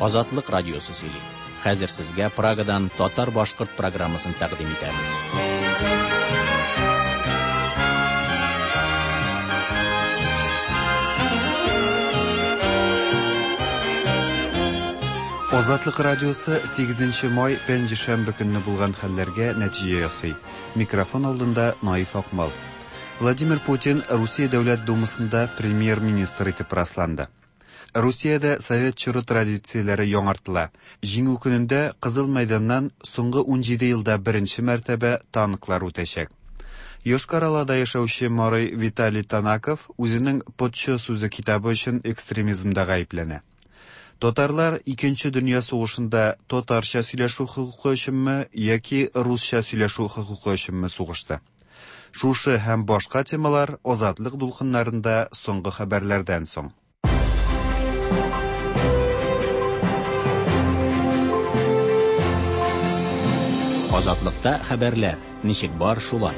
Азатлык радиосы сөйли. Хәзер сезгә Прагадан татар-башкорт программасын тәкъдим итәбез. Азатлык радиосы 8 май пәнҗешәмбе көнне булган хәлләргә нәтиҗә ясый. Микрофон алдында Наиф Акмал. Владимир Путин Русия Дәүләт Думасында премьер-министр итеп расланды. Русиядә совет чоры традицияләре яңартыла. Җиңү көнендә Кызыл мәйданнан соңгы 17 елда беренче мәртәбә танклар үтәчәк. Йошкар-Олада яшәүче марый Виталий Танаков үзенең Потчо сүзе китабы өчен экстремизмда гаепләнә. Татарлар Икенче дөнья сугышында татарча сөйләшү хокукы өченме яки русча сөйләшү хокукы өченме сугышты? Шушы һәм башка темалар Азатлык дулкыннарында соңгы хәбәрләрдән соң. Азатлыкта хәбәрләр ничек бар шулай.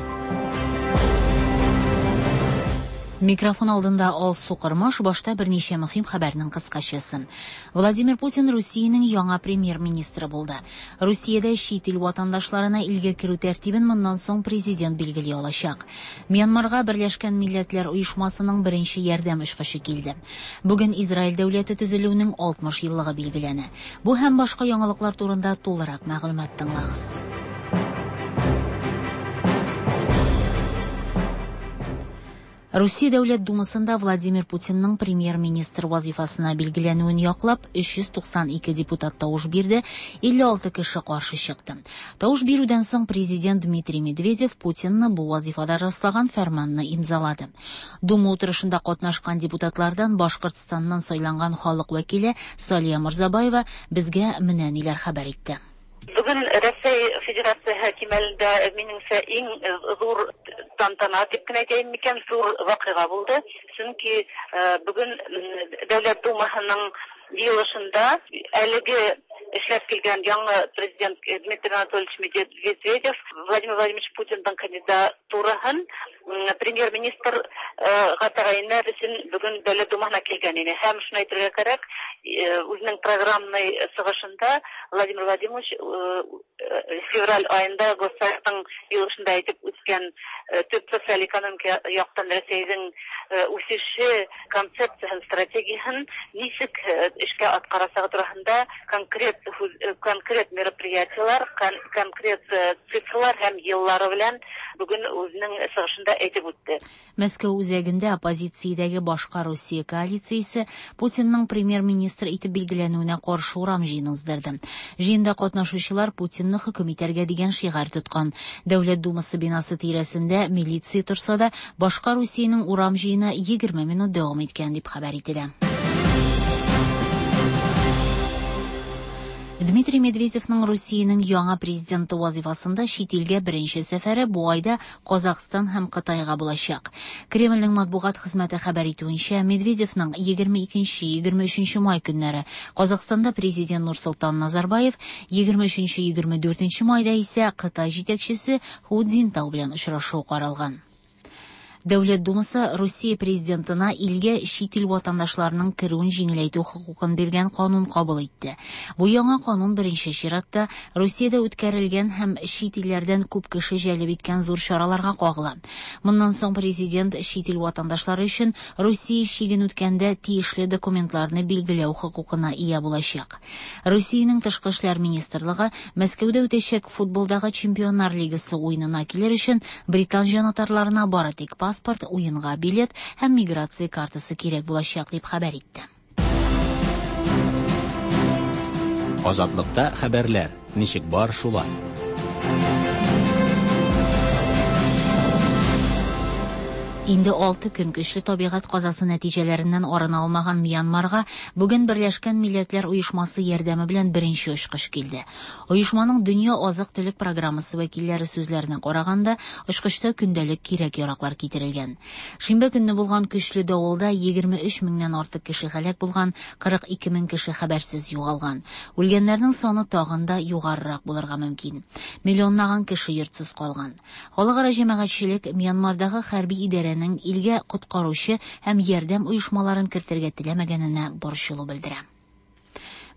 Микрофон алдында Алсу Кормаш, башта берничә мөһим хәбәрнең кыскачасы. Владимир Путин Русиянең яңа премьер-министры булды. Русиядә чит ил ватандашларына илгә керү тәртибен моннан соң президент билгели алачак. Мьянмарга Берләшкән Милләтләр Оешмасының беренче ярдәм очкычы килде. Бүген Израиль дәүләте төзелүенең 60 еллыгы билгеләнә. Бу һәм башка яңалыклар турында тулырак мәгълүмат тыңлагыз. Русия Дәүләт Думасында Владимир Путинның премьер-министр вазифасына билгеләнүен яклап 392 депутат тавыш бирде, 56 кеше каршы чыкты. Тавыш бирүдән соң президент Дмитрий Медведев Путинны бу вазифада раслаган фәрманны имзалады. Дума утырышында катнашкан депутатлардан Башкортстаннан сайланган халык вәкиле Салия Морзабаева безгә менә ниләр хәбәр итте. Бүген Рәсәй Федерацияһе кимәлендә минеңчә иң зур тантана дип кенә әйтәем микән, зур вакыйга булды. Чөнки бүген Дәүләт Думаһының җыелышында әлеге эшләп килгән яңа президент Дмитрий Анатольевич Медведев Владимир Владимирович Путинның кандидатураһын премьер-министрга тәгаенләр өчен бүген Дәүләт Думаһына килгән иде. Һәм шуны әйтергә кирәк, үзенең программный чыгышында Владимир Владимирович февраль аенда Госсоветның җыелышында әйтеп үткән төп социаль экономика яктан Рәсәйнең үсеше концепцияһен, стратегияһен ничек эшкә аткарасагы турында конкрет конкрет мероприятиелар, конкрет цифрлар һәм еллары белән бүген үзенең чыгышында әйтеп үтте. Мәскәү үзәгендә оппозициядәге башка Русия коалициясе Путинның премьер-министр итеп билгеләнүенә каршы урам җыены уздырды. Җыенда катнашучылар Путинны хөкем итәргә дигән шигарь тоткан. Дәүләт Думасы бинасы тирәсендә милиция торса да, башка Русиянең урам җыены 20 минут дәвам иткән дип хәбәр ителә. Дмитрий Медведевның Русиянең яңа президенты вазифасында чит илгә беренче сәфәре бу айда Казахстан һәм Кытайга булачак. Кремльнең матбугат хезмәте хәбәр итүенчә, Медведевның 22-23 май көннәре Казахстанда президент Нурсултан Назарбаев, 23-24 майда исә Кытай җитәкчесе Ху Цзиньтао белән очрашу каралган. Дәүләт Думасы Русия президентына илгә чит ил ватандашларының керүен җиңеләйтү хокукын биргән канун кабул итте. Бу яңа канун беренче чиратта Русиядә үткәрелгән һәм чит илләрдән күп кеше җәлеп иткән зур чараларга кагыла. Моннан соң президент чит ил ватандашлары өчен Русия чиген үткәндә тиешле документларны билгеләү хокукына ия булачак. Русиянең тышкы эшләр министрлыгы Мәскәүдә үтәчәк футболдагы Чемпионнар лигасы уенына килер өчен британ җанатарларына бары тик паспорт, уенга билет һәм миграция картасы кирәк булачак дип хәбәр итте. Азатлыкта хәбәрләр ничек бар шулай. Инде 6 көн көчле табигать казасы нәтиҗәләреннән арына алмаган Мьянмарга бүген Берләшкән Милләтләр Оешмасы ярдәме белән беренче очкыч килде. Оешманың Дөнья азык-төлек программасы вәкилләре сүзләренә караганда, очкычта көндәлек кирәк-яраклар китерелгән. Шимбә көнне булган көчле давылда 23 меңнән артык кеше һәлак булган, 42 мең кеше хәбәрсез югалган. Үлгәннәрнең саны тагын да югарырак булырга мөмкин. Миллионлаган кеше йортсыз калган. Халыкара җәмәгатьчелек Мьянмардагы хәрби идарәнең илгә коткаручы һәм ярдәм оешмаларын кертергә теләмәгәненә борчылу белдерә.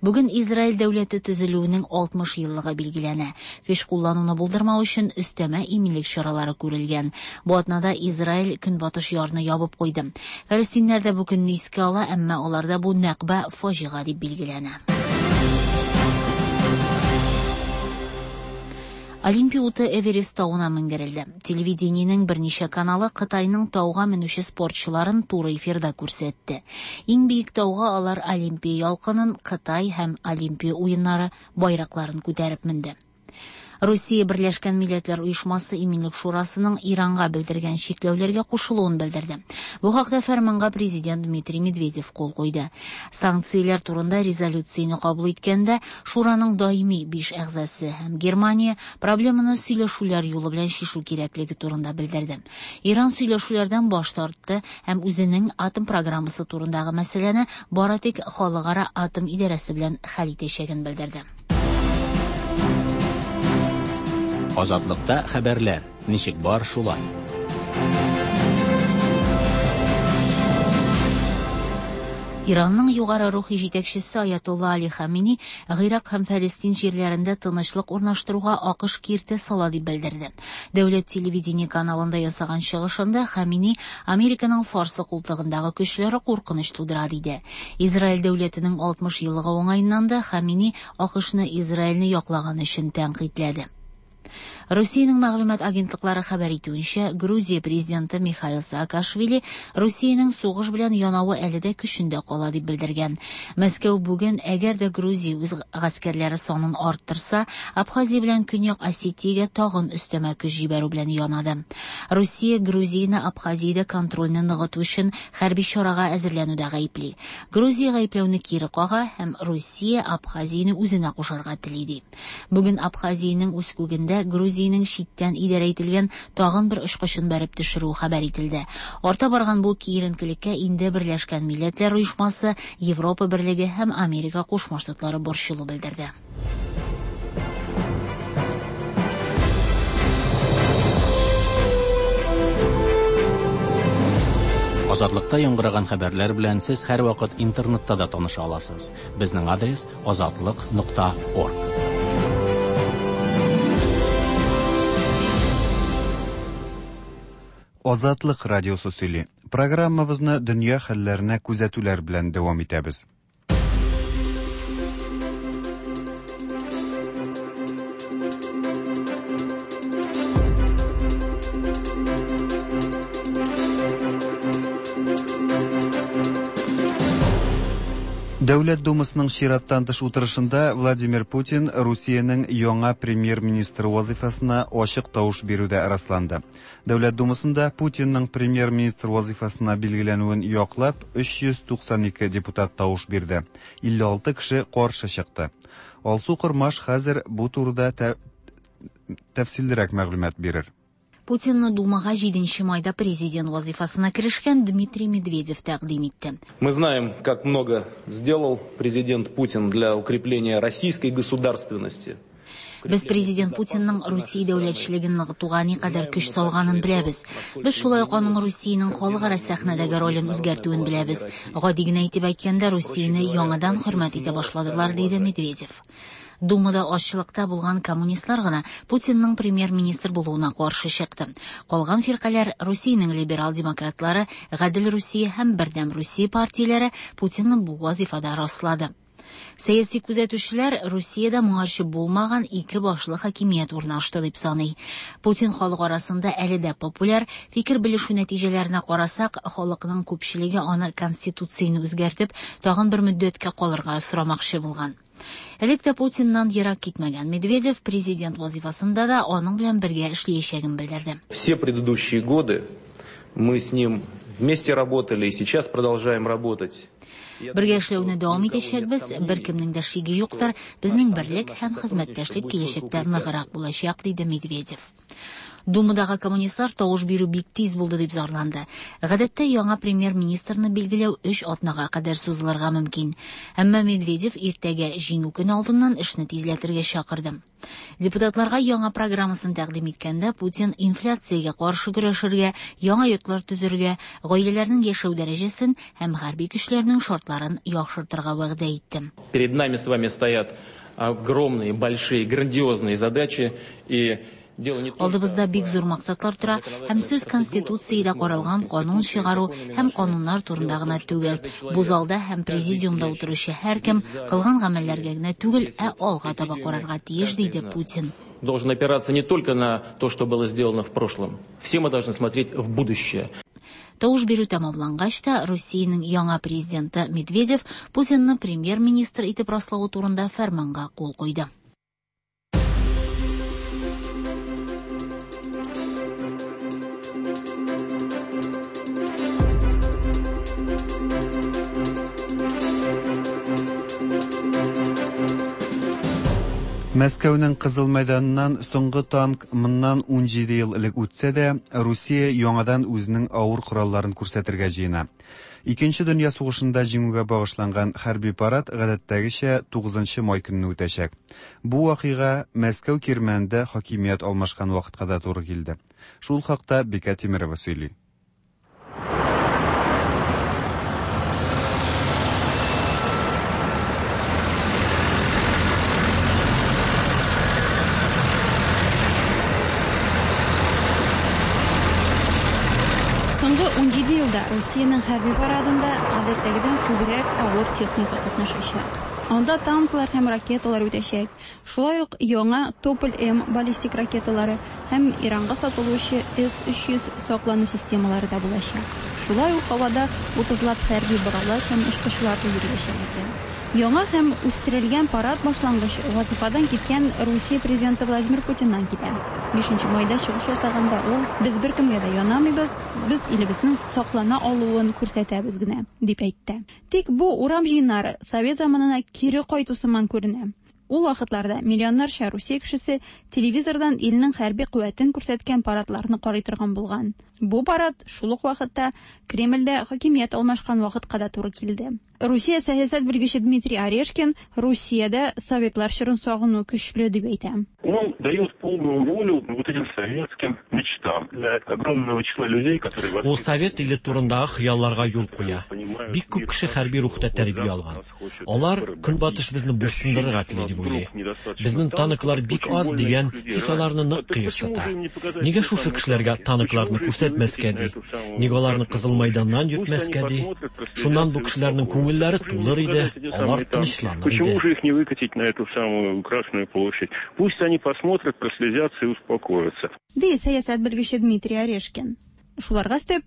Бүген Израиль дәүләте төзелүенең 60 еллыгы билгеләнә. Көч куллануны булдырмау өчен өстәмә иминлек чаралары күрелгән. Бу атнада Израиль көнбатыш ярны ябып куйды. Фәлестиннәр дә бу көнне искә ала, әмма аларда бу Нәкба фаҗига дип билгеләнә. Олимпия уты Эверест тавына менгерелде. Телевидениенең берничә каналы Кытайның тауга менүче спортчыларын туры эфирда күрсәтте. Иң биек тауга алар Олимпия ялкынын, Кытай һәм Олимпия уеннары байракларын күтәреп менде. Русия Берләшкән Милләтләр Оешмасы Иминлек Шурасының Иранга белдергән чикләүләргә кушылуын белдерде. Бу хакта фәрманга президент Дмитрий Медведев кул куйды. Санкцияләр турында резолюцияне кабул иткәндә, Шураның даими 5 әгъзасы һәм Германия проблеманы сөйләшүләр юлы белән чишү кирәклеге турында белдерде. Иран сөйләшүләрдән баш тартты һәм үзенең атом программасы турындагы мәсьәләне бары тик Халыкара атом идарәсе белән хәл итәчәген белдерде. Азатлыкта хәбәрләр ничек бар шулай. Иранның югары рухи җитәкчесе Аятолла Али Хамини Гыйрак һәм Фәлестин җирләрендә тынычлык урнаштыруга АКШ киртә сала дип белдерде. Дәүләт телевидение каналында ясаган чыгышында Хамини Американың Фарсы култыгындагы көчләре куркыныч тудыра диде. Израиль дәүләтенең 60 еллыгы уңаеннан да Хамини АКШны Израильне яклаган өчен тәнкыйтьләде. Русиянең мәгълүмат агентлыклары хәбәр итүенчә, Грузия президенты Михаил Саакашвили Русиянең сугыш белән янавы әле дә көчендә кала дип белдергән. Мәскәү бүген, әгәр дә Грузия үз гаскәрләре санын арттырса, Абхазия белән Көньяк Осетиягә тагын өстәмә көч җибәрү белән янады. Русия Грузияне Абхазиядә контрольне ныгыту өчен хәрби чарага әзерләнүдә гаепли. Грузия гаепләүне кире кага һәм Русия Абхазияне үзенә кушарга тели ди. Бүген Абхазиянең үз күгендә Грузиянең читтән идарә ителгән тагын бер очкычын бәреп төшерү хәбәр ителде. Арта барган бу киеренкелеккә инде Берләшкән Милләтләр Оешмасы, Европа Берлеге һәм Америка Кушма Штатлары борчылу белдерде. Азатлыкта яңгыраган хәбәрләр белән сез һәрвакыт интернетта да таныша аласыз. Безнең адрес azatliq.org. Азатлык радиосы сөйли. Программабызны дөнья хәлләренә күзәтүләр белән дәвам итәбез. Дәүләт Думасының чираттан тыш утырышында Владимир Путин Русиянең яңа премьер-министры вазифасына ачык тавыш бирүдә расланды. Дәүләт Думасында Путинның премьер-министр вазифасына билгеләнүен яклап 392 депутат тавыш бирде. 56 кеше каршы чыкты. Алсу Кормаш хәзер бу турыда тәфсиллерәк мәгълүмат бирер. Путинны Думага 7 майда президент вазифасына керешкән Дмитрий Медведев тәкъдим итте. Мы знаем, как много сделал президент Путин для укрепления российской государственности. Без президент Путинның Русия дәүләтчелеген ныгытуга никадәр көч салганын беләбез. Без шулай ук аның Русиянең халыкара сәхнәдәге ролен үзгәртүен беләбез. Гади генә итеп әйткәндә, Русияне яңадан хөрмәт итә башладылар, диде Медведев. Думада азчылыкта булган коммунистлар гына Путинның премьер-министр булуына каршы чыкты. Калган фиркаләр Русиянең либерал демократлары, Гадел Русия һәм Бердәм Русия партияләре Путинны бу вазифада раслады. Сәяси күзәтүчеләр Русиядә моңарчы булмаган ике башлы хакимият урнашты дип саный. Путин халык арасында әле дә популяр, фикер белешү нәтиҗәләренә карасак, халыкның күпчелеге аны конституцияне үзгәртеп, тагын бер мөддәткә калырга сорамакчы булган. Элек тә Путиннан ерак китмәгән Медведев президент вазифасында да аның белән бергә эшләячәген белдерде. Все предыдущие годы мы с ним вместе работали и сейчас продолжаем работать. Бергә эшләүне дәвам итәчәкбез, беркемнең дә шиге юктыр, безнең берлек һәм хезмәттәшлек киләчәктә ныграк булачак, диде Медведев. Думадагы коммунистлар тавыш бирү бик тиз булды дип зарланды. Гадәттә яңа премьер-министрны билгеләү өч атнага кадәр сузылырга мөмкин. Әмма Медведев иртәгә Җиңү көне алдыннан эшне тизләтергә чакырды. Депутатларга яңа программасын тәкъдим иткәндә Путин инфляциягә каршы көрәшергә, яңа йортлар төзергә, гаиләләрнең яшәү дәрәҗәсен һәм хәрби көчләрнең шартларын яхшыртырга вәгъдә итте. Перед нами с вами стоят огромные, большие, грандиозные задачи и Алдыбызда бик зур максатлар тора һәм сүз Конституциядә каралган канун чыгару һәм кануннар турында гына түгел. Бу залда һәм президиумда утыручы һәркем кылган гамәлләргә генә түгел, ә алга таба карарга тиеш, диде Путин. Должен опираться не только на то, что было сделано в прошлом. Все мы должны смотреть в будущее. Тавыш бирү тәмамлангач та, Русиянең яңа президенты Медведев Путинны премьер-министр итеп раславы турында фәрманга кул куйды. Мәскәүнең Кызыл мәйданыннан соңгы танк моннан 17 ел элек үтсә дә, Русия яңадан үзенең авыр коралларын күрсәтергә җыена. Икенче дөнья сугышында җиңүгә багышланган хәрби парад гадәттәгечә 9 май көнне үтәчәк. Бу вакыйга Мәскәү кирмәнендә хакимият алмашкан вакытка да туры килде. Шул хакта Бикә Тимерова сөйли. Соңгы 17 елда Русиянең хәрби парадында гадәттәгедән күбрәк авыр техника катнашачак. Анда танклар һәм ракеталар үтәчәк. Шулай ук яңа Тополь-М баллистик ракеталары һәм Иранга сатылучы С-300 саклану системалары да булачак. Шулай ук һавада 30лап хәрби боралаш һәм очкычлар да йөриячәк икән. Яңа һәм үстерелгән парад башлангычы вазифадан киткән Русия президенты Владимир Путиннан килә. 5 майда чыгыш ясаганда ул без беркемгә дә янамыйбыз, без илебезнең саклана алуын күрсәтәбез генә, дип әйтте. Тик бу урам җыеннары совет заманына кире кайту сыман күренә. Ул вакытларда миллионнарча Русия кешесе телевизордан илнең хәрби куәтен күрсәткән парадларны карый торган булган. Бу парад шул ук вакытта Кремльдә хакимият алмашкан вакытка да туры килде. Русия сәясәт белгече Дмитрий Орешкин Русиядә советлар чорын сагыну көчле дип әйтә. Он дает полную волю вот этим советским мечтам для огромного числа людей, которые Ул совет иле турындагы хыялларга юл куя. Бик күп кеше хәрби рухта тәрбия алган. Алар көнбатыш безне буйсындырырга тели дип уйлый. Безнең танклар бик аз дигән хис аларны нык кыерсыта. Нигә шушы кешеләргә танкларны күрсәтмәскә ди? Нигә аларны Кызыл майданнан йөртмәскә ди? Шуннан бу кешеләрнең күңелләре тулыр иде, алар тынычланыр Почему иде. же их не выкатить на эту самую Красную площадь? Пусть они посмотрят, прослезятся и успокоятся. Ди сәясәт белгече Дмитрий Орешкин. Шуларга өстәп,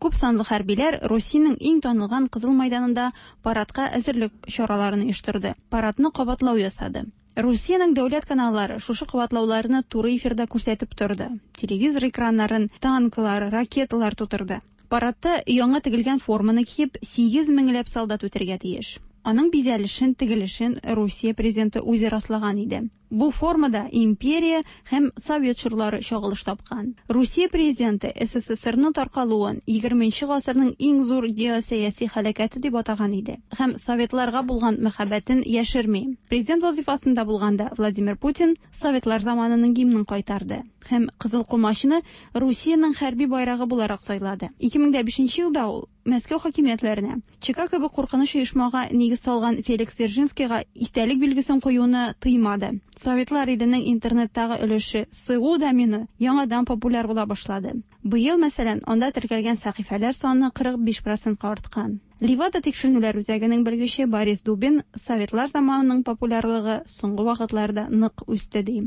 күп санлы хәрбиләр Русиянең иң танылган Кызыл майданында парадка әзерлек чараларын оештырды. Парадны кабатлау ясады. Русиянең дәүләт каналлары шушы кабатлауларны туры эфирда күрсәтеп торды. Телевизор экраннарын танклар, ракеталар тутырды. Парадта яңа тегелгән форманы киеп 8 меңләп солдат үтәргә тиеш. Аның бизәлешен, тегелешен Русия президенты үзе раслаган иде. Бу формада империя һәм совет чорлары чагылыш тапкан. Русия президенты СССРның таркалуын 20 гасырның иң зур геосәяси һәлакәте дип атаган иде һәм советларга булган мәхәббәтен яшерми. Президент вазифасында булганда Владимир Путин советлар заманының гимнын кайтарды һәм Кызыл комачны Русиянең хәрби байрагы буларак сайлады. 2005 елда ул Мәскәү хакимиятләренә ЧК кебек куркыныч оешмага нигез салган Феликс Дзержинскийга истәлек билгесен куюны тыймады. Советлар иленең интернеттагы өлеше СУ домены яңадан популяр була башлады. Быел, мәсәлән, анда теркәлгән сәхифәләр саны 45%-ка арткан. Левада тикшеренүләр үзәгенең белгече Борис Дубин советлар заманының популярлыгы соңгы вакытларда нык үсте ди.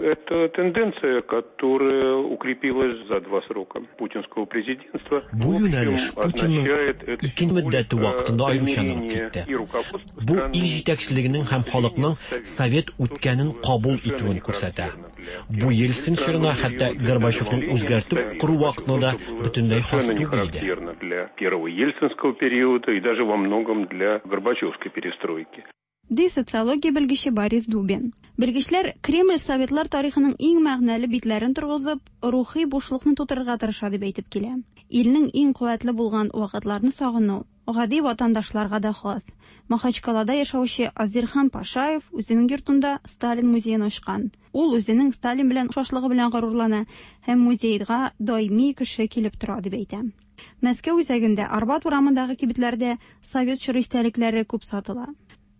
Это тенденция, которая укрепилась за два срока путинского президентства. Бу юнәлеш Путинның ике мөддәте вакытында аеруча ныгып китте. Бу ил җитәкчелегенең һәм халыкның совет үткәнен кабул итүен күрсәтә. Бу Ельцин чорына хәтта Горбачевның үзгәртеп кору вакытына да бөтенләй хас түгел иде. Для первого ельцинского периода и даже во многом для горбачевской перестройки. ди социология белгече Борис Дубин. Белгечләр Кремль советлар тарихының иң мәгънәле битләрен торгызып, рухи бушлыкны тутырырга тырыша дип әйтеп килә. Илнең иң куәтле булган вакытларны сагыну гади ватандашларга да хас. Махачкалада яшәүче Азирхан Пашаев үзенең йортында Сталин музеен ачкан. Ул үзенең Сталин белән охшашлыгы белән горурлана һәм музейга даими кеше килеп тора дип әйтә. Мәскәү үзәгендә Арбат урамындагы кибетләрдә совет чоры истәлекләре күп сатыла.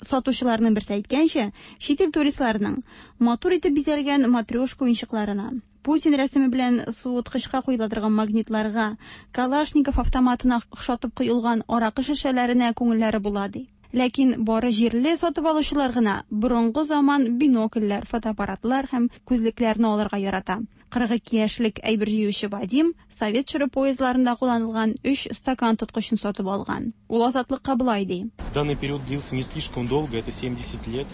Сатучыларның берсе әйткәнчә, чит ил туристларының матур итеп бизәлгән матрешка уенчыкларына, Путин рәсеме белән суыткычка куела торган магнитларга, Калашников автоматына охшатып коелган аракы шешәләренә күңелләре була ди. Ләкин бары җирле сатып алучылар гына борынгы заман бинокльләр, фотоаппаратлар һәм күзлекләрне алырга ярата. 42 яшьлек әйбер җыючы Вадим совет чоры поездларында кулланылган өч стакан тоткычын сатып алган. Ул Азатлыкка болай ди. Данный период длился не слишком долго, это 70 лет.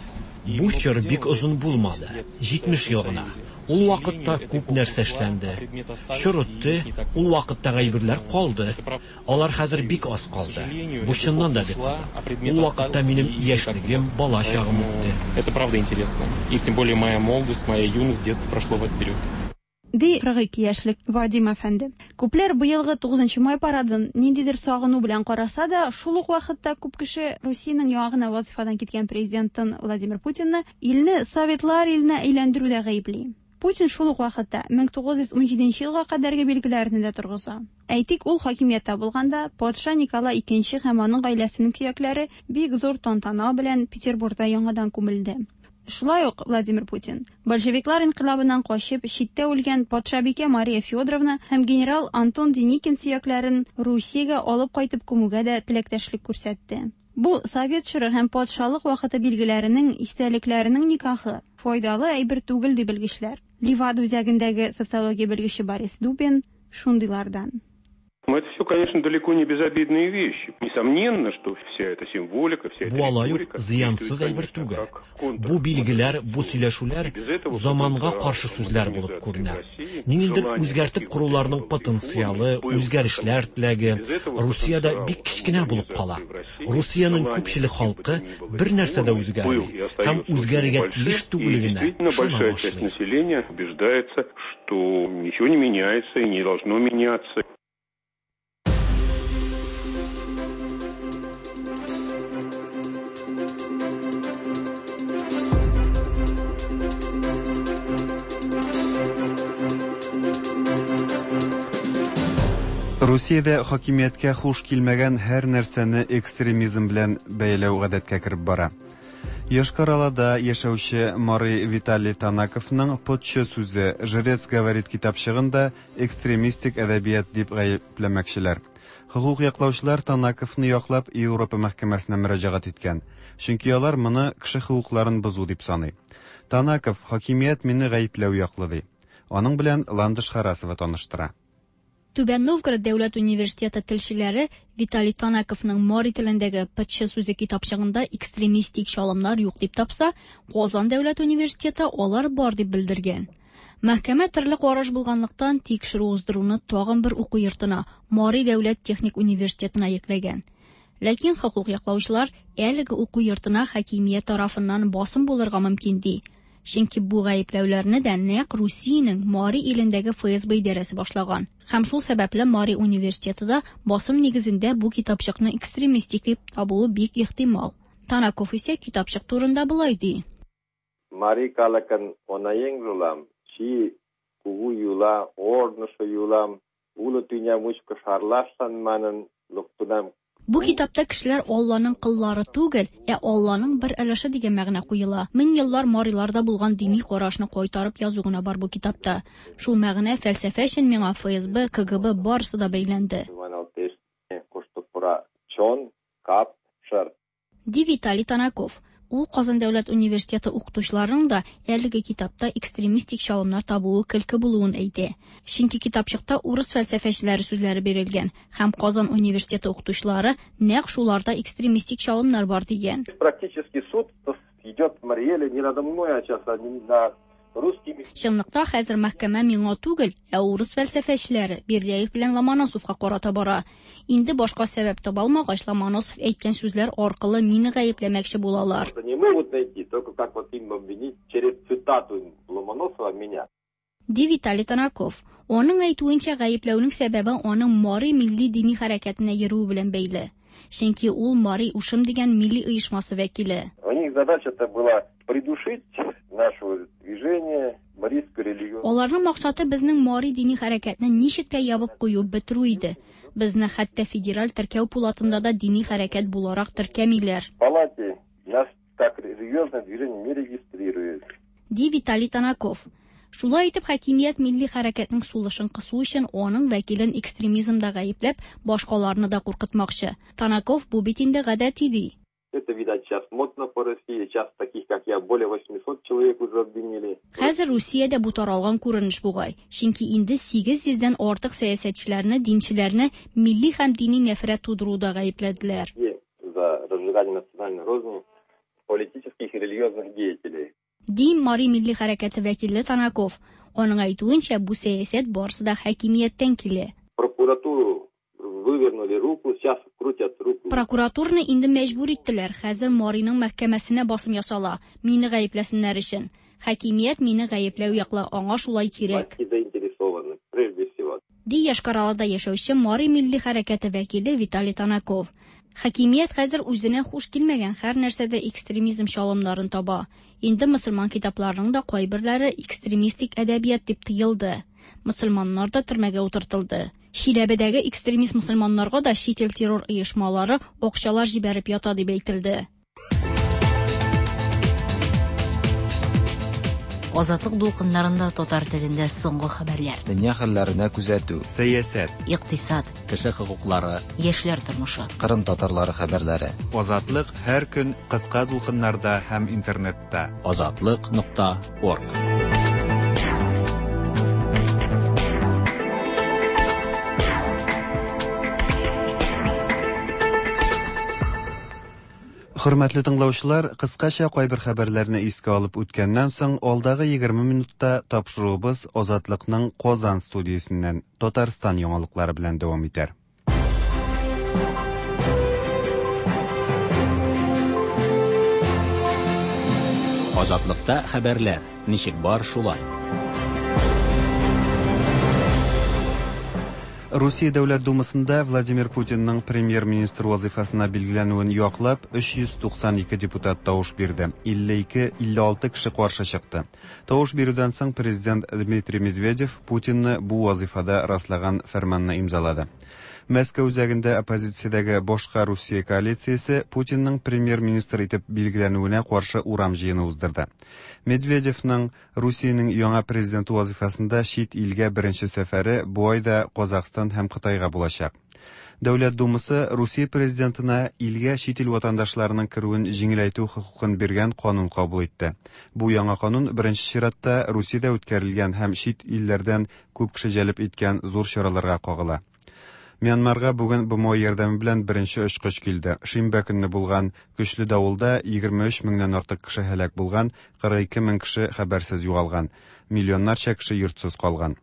Бу чор бик озын булмады, 70 ел гына. Ул вакытта күп нәрсә эшләнде. Чор үтте, ул вакыттагы әйберләр калды. Алар хәзер бик аз калды. Бу чыннан да бик кызык. Ул вакытта минем яшьлегем, бала чагым үтте. Это правда интересно. И тем более моя молодость, моя юность, детство прошло в этот период. Ди 42 яшьлек Вадим әфәнде. Күпләр быелгы 9 май парадын ниндидер сагыну белән караса да, шул ук вакытта күп кеше Русиянең яңа гына вазифадан киткән президентын Владимир Путинны илне советлар иленә әйләндерүдә гаепли. Путин шул ук вакытта 1917 елга кадәрге билгеләрне дә торгыза. Әйтик, ул хакимияттә булганда патша Николай II һәм аның гаиләсенең сөякләре бик зур тантана белән Петербургта яңадан күмелде. Шулай ук Владимир Путин большевиклар инкыйлабыннан качып читтә үлгән патшабикә Мария Федоровна һәм генерал Антон Деникин сөякләрен Русиягә алып кайтып күмүгә дә теләктәшлек күрсәтте. Бу совет чоры һәм патшалык вакыты билгеләренең истәлекләренең никахы файдалы әйбер түгел ди белгечләр. Левада үзәгендәге социология белгече Борис Дубин шундыйлардан. Но это все, конечно, далеко не безобидные вещи. Несомненно, что вся эта символика, вся эта Бу алай ук риторика зыянсыз действует, әйбер конечно, түгел. как контр- Бу билгеләр, бу сөйләшүләр заманга каршы сүзләр булып күренә. Ниндидер үзгәртеп коруларның потенциалы, үзгәрешләр теләге Русиядә бик кечкенә булып кала. Русиянең күпчелек халкы бер нәрсә дә үзгәрми һәм үзгәрергә тиеш И түгеллегенә действительно ышана большая часть башлый. населения убеждается, что ничего не меняется и не должно меняться. Русиядә хакимияткә хуш килмәгән һәр нәрсәне экстремизм белән бәйләү гадәткә кереп бара. Йошкар-Олада яшәүче Мари Виталий Танаковның Потчы сүзе «Жрец говорит» китапчыгын да экстремистик әдәбият дип гаепләмәкчеләр. Хокук яклаучылар Танаковны яклап Европа мәхкәмәсенә мөрәҗәгать иткән. Чөнки алар моны кеше хокукларын бозу дип саный. Танаков хакимият мине гаепләү яклы ди. Аның белән Ландыш Харасова таныштыра. Түбән Новгород дәүләт университеты телчеләре Виталий Танаковның мари телендәге Пытчы сүзе китапчыгында экстремистик чалымнар юк дип тапса, Казан дәүләт университеты алар бар дип белдергән. Мәхкәмә төрле караш булганлыктан тикшерү уздыруны тагын бер уку йортына, Мари дәүләт техник университетына йөкләгән. Ләкин хокук яклаучылар әлеге уку йортына хакимият тарафыннан басым булырга мөмкин ди. Чөнки бу гаепләүләрне дә нәкъ Русиянең Мари илендәге ФСБ идарәсе башлаган. Һәм шул сәбәпле Мари университеты да басым нигезендә бу китапчыкны экстремистик дип табуы бик ихтимал. Танаков исә китапчык турында болай ди. Мари калыкын онаеҥжылан чи кугу йӱла, ожнысо йӱлам уло тӱня мучко шарлашлан манын луктынам. Бу китапта кешеләр Алланың кыллары түгел, ә Алланың бер өлеше дигән мәгънә куела. Мең еллар мариларда булган дини карашны кайтарып язу гына бар бу китапта. Шул мәгънә фәлсәфә өчен миңа ФСБ, КГБ барысы да бәйләнде. Маналтеш кушто пура чон, кап, шыр. Ди Виталий Танаков. Ул Казан дәүләт университеты укытучыларының да әлеге китапта экстремистик чалымнар табуы көлке булуын әйтә. Чөнки китапчыкта урыс фәлсәфәчеләре сүзләре бирелгән һәм Казан университеты укытучылары нәкъ шуларда экстремистик чалымнар бар дигән. Практически суд идет в Мариэле не надо мной, а сейчас а не над русскими. Чынлыкта хәзер мәхкәмә миңа түгел, ә урыс фәлсәфәчеләре Бердяев белән Ломоносовка карата бара. Инде башка сәбәп таба алмагач, Ломоносов әйткән сүзләр аркылы мине гаепләмәкче булалар. Не могут найти, только как вот им обвинить через цитату Ломоносова меня. Ди Виталий Танаков. Аның әйтүенчә, гаепләүнең сәбәбе аның Мари милли дини хәрәкәтенә йөрүе белән бәйле. Чөнки ул Мари Ушым дигән милли оешмасы вәкиле. У них задача-то была придушить наше движение, марийскую религию. Аларның максаты безнең Мари дини хәрәкәтне ничек тә ябып кую, бетерү иде. Безне хәтта федераль теркәү пулатында да дини хәрәкәт буларак теркәмиләр. В палате нас как религиозное движение не регистрируют. Ди Виталий Танаков. Шулай итеп, хакимият милли хәрәкәтнең сулышын кысу өчен аның вәкилен экстремизмда гаепләп, башкаларны да куркытмакчы. Танаков бу бит инде гадәти ди. Это, видать, сейчас модно по России. Сейчас таких, как я, более 800 человек уже обвинили. Хәзер Русиядә бу таралган күренеш бугай. Чөнки инде 800 дән артык сәясәтчеләрне, динчеләрне милли һәм дини нәфрәт тудыруда гаепләделәр. За разжигание национальной розни политических и религиозных деятелей. Ди Мари милли хәрәкәте вәкиле Танаков. Аның әйтүенчә, бу сәясәт барысы да хакимияттән килә. Прокуратуру вывернули руку, сейчас крутят руку. Прокуратураны инде мәҗбүр иттеләр. Хәзер Мариның мәхкәмәсенә басым ясала, мине гаепләсеннәр өчен. Хакимият мине гаепләү яклы, аңа шулай кирәк. Власти заинтересованы, прежде всего. Ди Йошкар-Олада яшәүче Мари милли хәрәкәте вәкиле Виталий Танаков. Хакимият хәзер үзенә хуш килмәгән һәр нәрсәдә экстремизм чалымнарын таба. Инде мөселман китапларының да кайберләре экстремистик әдәбият дип тыелды. Мөселманнар да төрмәгә утыртылды. Чиләбедәге экстремист мөселманнарга да чит ил террор оешмалары акчалар җибәреп ята дип әйтелде. Азатлык дулкыннарында татар телендә соңгы хәбәрләр. Дөнья хәлләренә күзәтү. Сәясәт. Икътисад. Кеше хокуклары. Яшьләр тормышы. Кырым татарлары хәбәрләре. Азатлык һәр көн кыска дулкыннарда һәм интернетта. Азатлык.орг. Хөрмәтле тыңлаучылар, кыскача кайбер хәбәрләрне искә алып үткәннән соң, алдагы 20 минутта тапшыруыбыз Азатлыкның Казан студиясеннән Татарстан яңалыклары белән дәвам итәр. Азатлыкта хәбәрләр ничек бар шулай. Русия Дәүләт Думасында Владимир Путинның премьер-министр вазифасына билгеләнүен яклап 392 депутат тавыш бирде. 52-56 кеше каршы чыкты. Тавыш бирүдән соң президент Дмитрий Медведев Путинны бу вазифада раслаган фәрманны имзалады. Мәскәү үзәгендә оппозициядәге башка Русия коалициясе Путинның премьер-министр итеп билгеләнүенә каршы урам җыены уздырды. Медведевның Русиянең яңа президенты вазифасында чит илгә беренче сәфәре бу айда Казахстан һәм Кытайга булачак. Дәүләт Думасы Русия президентына илгә чит ил ватандашларының керүен җиңеләйтү хокукын биргән канун кабул итте. Бу яңа канун беренче чиратта Русиядә үткәрелгән һәм чит илләрдән күп кеше җәлеп иткән зур чараларга кагыла. Мьянмарга бүген БМО ярдәме белән беренче очкыч килде. Шимбә көнне булган көчле давылда 23 меңнән артык кеше һәлак булган, 42 мең кеше хәбәрсез югалган, миллионнарча кеше йортсыз калган.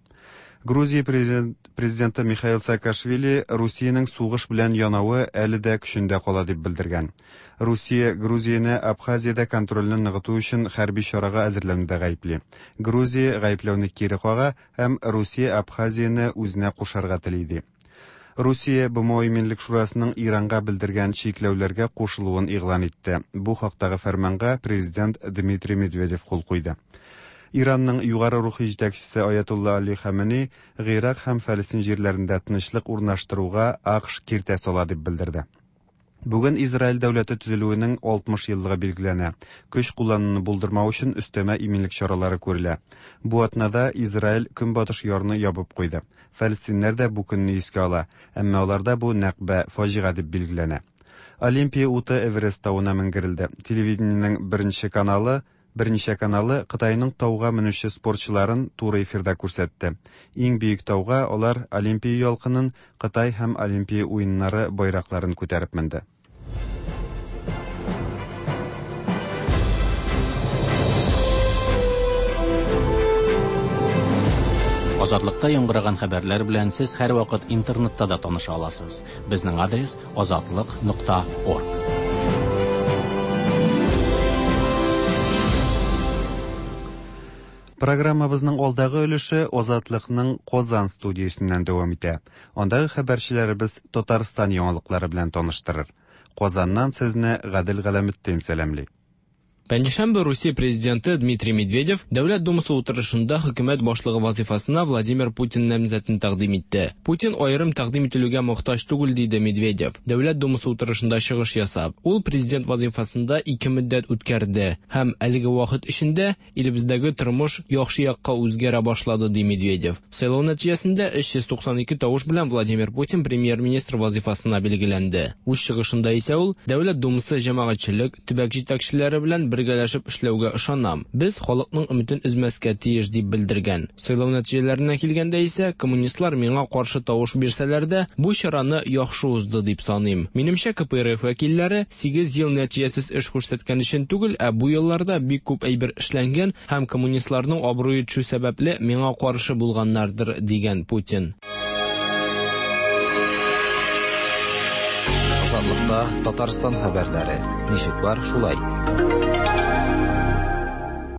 Грузия президенты Михаил Саакашвили Русиянең сугыш белән янавы әле дә көчендә кала дип белдергән. Русия Грузияне Абхазиядә контрольне ныгыту өчен хәрби чарага әзерләнүдә гаепли. Грузия гаепләүне кире кага һәм Русия Абхазияне үзенә кушарга тели ди. Русия БМО Иминлек Шурасының Иранга белдергән чикләүләргә кушылуын игълан итте. Бу хактагы фәрманга президент Дмитрий Медведев кул куйды. Иранның югары рухи җитәкчесе Аятулла Али Хаменей Гыйрак һәм Фәлестин җирләрендә тынычлык урнаштыруга АКШ киртә сала дип белдерде. Бүген Израиль дәүләте төзелүенең 60 еллыгы билгеләнә. Көч куллануны булдырмау өчен өстәмә иминлек чаралары күрелә. Бу атнада Израиль көнбатыш ярны ябып куйды. Фәлестиннәр дә бу көнне искә ала, әмма аларда бу нәкбә, фаҗига дип билгеләнә. Олимпия уты Эверест тавына менгерелде. Телевидениенең беренче каналы Берничә каналы Кытайның тауга менүче спортчыларын туры эфирда күрсәтте. Иң биек тауга алар Олимпия ялкынын, Кытай һәм Олимпия уеннары байракларын күтәреп менде. Азатлыкта яңгыраган хәбәрләр белән сез һәрвакыт интернетта да таныша аласыз. Безнең адрес азатлык.орг. Программабызның алдагы өлеше Азатлыкның Казан студиясеннән дәвам итә. Андагы хәбәрчеләребез Татарстан яңалыклары белән таныштырыр. Казаннан сезне Гадел Галәметдин сәламли. Пәнҗешәмбе Русия президенты Дмитрий Медведев Дәүләт Думасы утырышында хөкүмәт башлыгы вазифасына Владимир Путин намзәтен тәкъдим итте. Путин аерым тәкъдим ителүгә мохтаҗ түгел, диде Медведев. Дәүләт Думасы утырышында чыгыш ясап, ул президент вазифасында ике мөддәт үткәрде һәм әлеге вакыт эчендә илебездәге тормыш яхшы якка үзгәрә башлады, ди Медведев. Сайлау нәтиҗәсендә 392 тавыш белән Владимир Путин премьер-министр вазифасына билгеләнде. Үз чыгышында исә ул Дәүләт Думасы җәмәгатьчелек, төбәк җитәкчеләре белән бергәләшеп эшләүгә ышанам. Без халыкның өметен өзмәскә тиеш, дип белдергән. Сайлау нәтиҗәләренә килгәндә исә, коммунистлар миңа каршы тавыш бирсәләр дә, бу чараны яхшы узды дип саныйм. Минемчә, КПРФ вәкилләре 8 ел нәтиҗәсез эш күрсәткән өчен түгел, ә бу елларда бик күп әйбер эшләнгән һәм коммунистларның абруе төшү сәбәпле миңа каршы булганнардыр, дигән Путин. Азатлыкта Татарстан хәбәрләре. Ничек бар, шулай.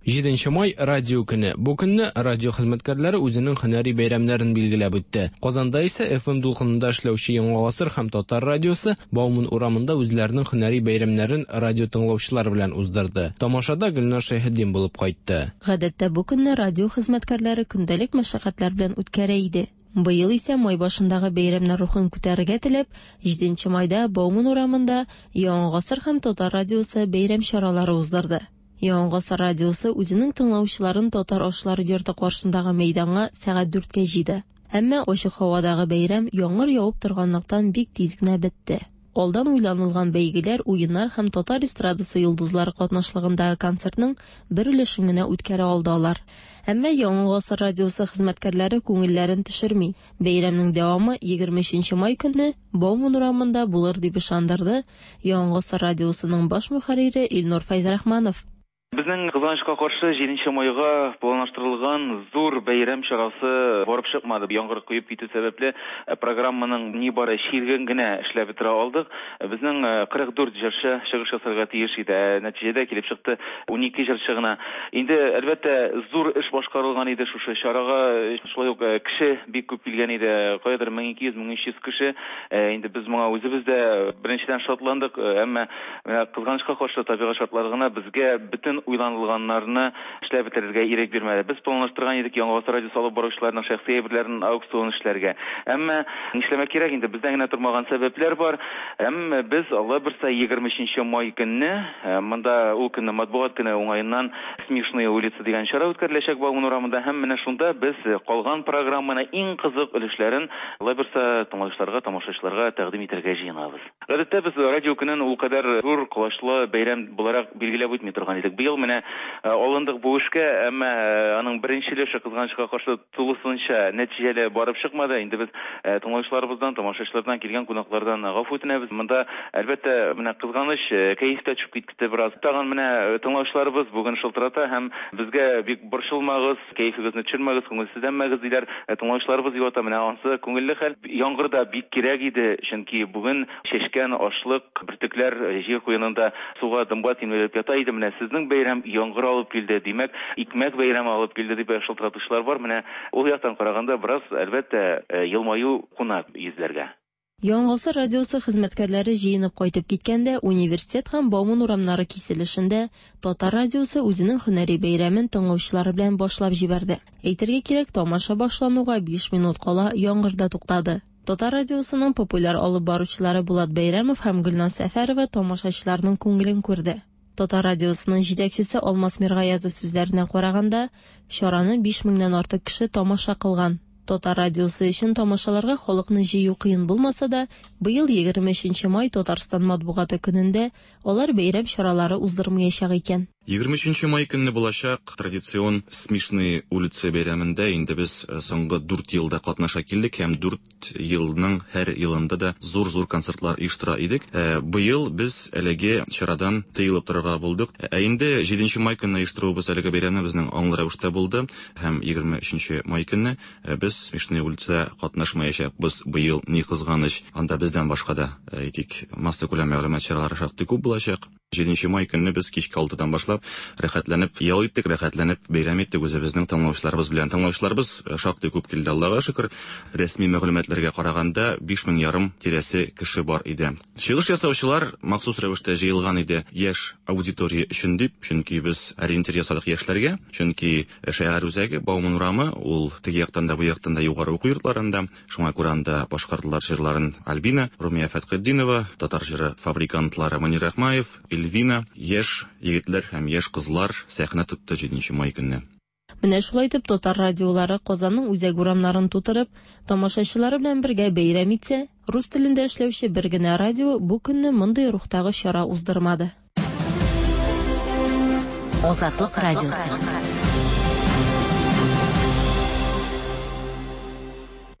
7 май радио көне. Бу көнне радио хезмәткәрләре үзенең һөнәри бәйрәмнәрен билгеләп үтте. Казанда исә FM дулкынында эшләүче Яңа гасыр һәм Татар радиосы Бауман урамында үзләренең һөнәри бәйрәмнәрен радио тыңлаучылар белән уздырды. Тамашада Гөлнар Шәйхетдин булып кайтты. Гадәттә бу көнне радио хезмәткәрләре көндәлек мәшәкатьләр белән үткәрә иде. Быел исә май башындагы бәйрәмнәр рухын күтәрергә теләп, 7 майда Бауман урамында Яңа гасыр һәм Татар радиосы бәйрәм чаралары уздырды. Яңа гасыр радиосы үзенең тыңлаучыларын татар ашлары йорты каршындагы мәйданга сәгать 4-кә җыйды. Әмма ачык һавадагы бәйрәм яңгыр явып торганлыктан бик тиз генә бетте. Алдан уйланылган бәйгеләр, уеннар һәм татар эстрадасы йолдызлары катнашлыгындагы концертның бер өлешен генә үткәрә алды алар. Әмма Яңа гасыр радиосы хезмәткәрләре күңелләрен төшерми. Бәйрәмнең дәвамы 23 май көнне Бауман урамында булыр дип ышандырды Яңа гасыр радиосының баш мөхәррире Илнур Фәйзрахманов. Безнең кызганычка каршы 7 майга планлаштырылган зур бәйрәм чарасы барып чыкмады. Яңгыр коеп китү сәбәпле программаның нибары чиреген генә эшләп бетерә алдык. Безнең 44 җырчы чыгыш ясарга тиеш иде. Нәтиҗәдә килеп чыкты 12 җырчы гына. Инде әлбәттә зур эш башкарылган иде шушы чарага. Шулай ук кеше бик күп килгән иде. Каядыр 1200-1300 кеше. Инде без моңа үзебез дә беренчедән шатландык, әмма кызганычка каршы табигать шартлары гына безгә бөтен уйланылганнарны эшләп бетерергә ирек бирмәде. Без планлаштырган идек Яңа гасыр радиосы алып баручыларның шәхси әйберләрен аукцион эшләргә. Әмма нишләмәк кирәк инде, бездән генә тормаган сәбәпләр бар. Әмма без Алла бирса 23 май көнне, монда ул көнне матбугат көне уңаеннан Смешные улицы дигән чара үткәреләчәк Бауман урамында һәм менә шунда без калган программаны иң кызык өлешләрен Алла бирса тыңлаучыларга, тамашачыларга тәкъдим итәргә җыенабыз. Гадәттә без радио көнен ул кадәр зур, колачлы бәйрәм буларак билгеләп үтми торган идек. Быел менә алындык бу эшкә, әмма аның беренче өлеше кызганычка каршы тулысынча нәтиҗәле барып чыкмады. Инде без тыңлаучыларыбыздан, тамашачылардан, килгән кунаклардан гафу үтенәбез. Монда, әлбәттә, менә кызганыч, кәеф тә төшеп китте бераз. Тагын менә тыңлаучыларыбыз бүген шылтырата һәм безгә бик борчылмагыз, кәефегезне төшермәгез, күңелсезләнмәгез диләр. Тыңлаучыларыбыз юата, менә ансы күңелле хәл. Яңгыр да бик кирәк иде, чөнки бүген чәчкән ашлык, бөртекләр җир куенында суга, дымга тимерелеп ята иде. Менә сезнең бәйрәм яңгыр алып килде, димәк, икмәк бәйрәме алып килде дип шылтыратучылар бар. Менә ул яктан караганда бераз, әлбәттә, елмаю куна йөзләргә. Яңа гасыр радиосы хезмәткәрләре җыенып кайтып киткәндә, университет һәм Бауман урамнары киселешендә Татар радиосы үзенең һөнәри бәйрәмен тыңлаучылары белән башлап җибәрде. Әйтергә кирәк, тамаша башлануга 5 минут кала яңгыр да туктады. Татар радиосының популяр алып баручылары Булат Бәйрәмов һәм Гөлназ Сәфәрова тамашачыларның күңелен күрде. Татар радиосының җитәкчесе Алмаз Миргаязов сүзләренә караганда, чараны 5000 нән артык кеше тамаша кылган. Татар радиосы өчен тамашаларга халыкны җыю кыен булмаса да, быел 23 май Татарстан матбугаты көнендә алар бәйрәм чаралары уздырмаячак икән. 23 май көнне булачак традицион Смешные улицы бәйрәмендә инде без соңгы 4 елда катнаша килдек һәм 4 елның һәр елында да зур-зур концертлар оештыра идек. Быел без әлеге чарадан тыелып торырга булдык. Ә инде 7 май көнне оештыруыбыз әлеге бәйрәмне безнең аңлы рәвештә булды һәм 23 май көнне без Смешные улицы катнашмаячакбыз быел, ни кызганыч. Анда бездән башка да, әйтик, массакүләм мәгълүмат чаралары шактый күп булачак. 7 май көнне без кичке 6-дан башлап рәхәтләнеп ял иттек, рәхәтләнеп бәйрәм иттек үзебезнең тыңлаучыларыбыз белән. Тыңлаучыларыбыз шактый күп килде, Аллага шөкер. Рәсми мәгълүматларга караганда 5500 тирәсе кеше бар иде. Чыгыш ясаучылар махсус рәвештә җыелган иде яшь аудитория өчен дип, чөнки без ориентир ясадык яшьләргә, чөнки шәһәр үзәге Бауман урамы, ул теге яктан да бу яктан да югары уку йортларында, шуңа күрә анда башкардылар җырларын Альбина, Румия Фәтхетдинова, татар җыры фабрикантлары Мөнир Рахмаев, Эльвина, яшь егетләр һәм яшь кызлар сәхнә тотты 7 май көнне. Менә шулай итеп татар радиолары Казанның үзәк урамнарын тутырып, тамашачылары белән бергә бәйрәм итсә, рус телендә эшләүче бер генә радио бу көнне мондый рухтагы чара уздырмады. Азатлык радиосы.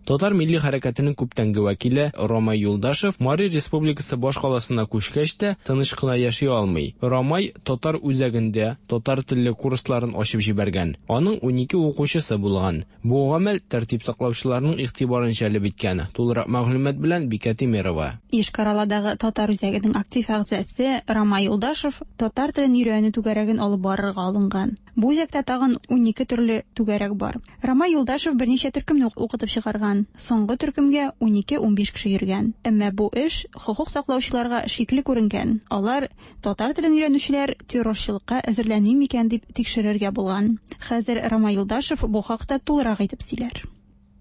Татар милли хәрәкәтенең күптәнге вәкиле Ромай Юлдашев Мари Республикасы баш каласына күчкәч тә тыныч кына яши алмый. Ромай татар үзәгендә татар телле курсларын ачып җибәргән. Аның 12 укучысы булган. Бу гамәл тәртип саклаучыларның игътибарын җәлеп иткән. Тулырак мәгълүмат белән Бикә Тимирова. Йошкар-Оладагы татар үзәгенең актив әгъзасы Ромай Юлдашев татар телен өйрәнү түгәрәген алып барырга алынган. Бу үзәктә тагын 12 төрле түгәрәк бар. Ромай Юлдашев берничә төркемне укытып чыгарган. Соңгы төркемгә 12-15 кеше йөргән. Әмма бу эш хокук саклаучыларга шикле күренгән. Алар татар телен өйрәнүчеләр террорчылыкка әзерләнми микән дип тикшерергә булган. Хәзер Ромай Юлдашев бу хакта тулырак әйтеп сөйләр.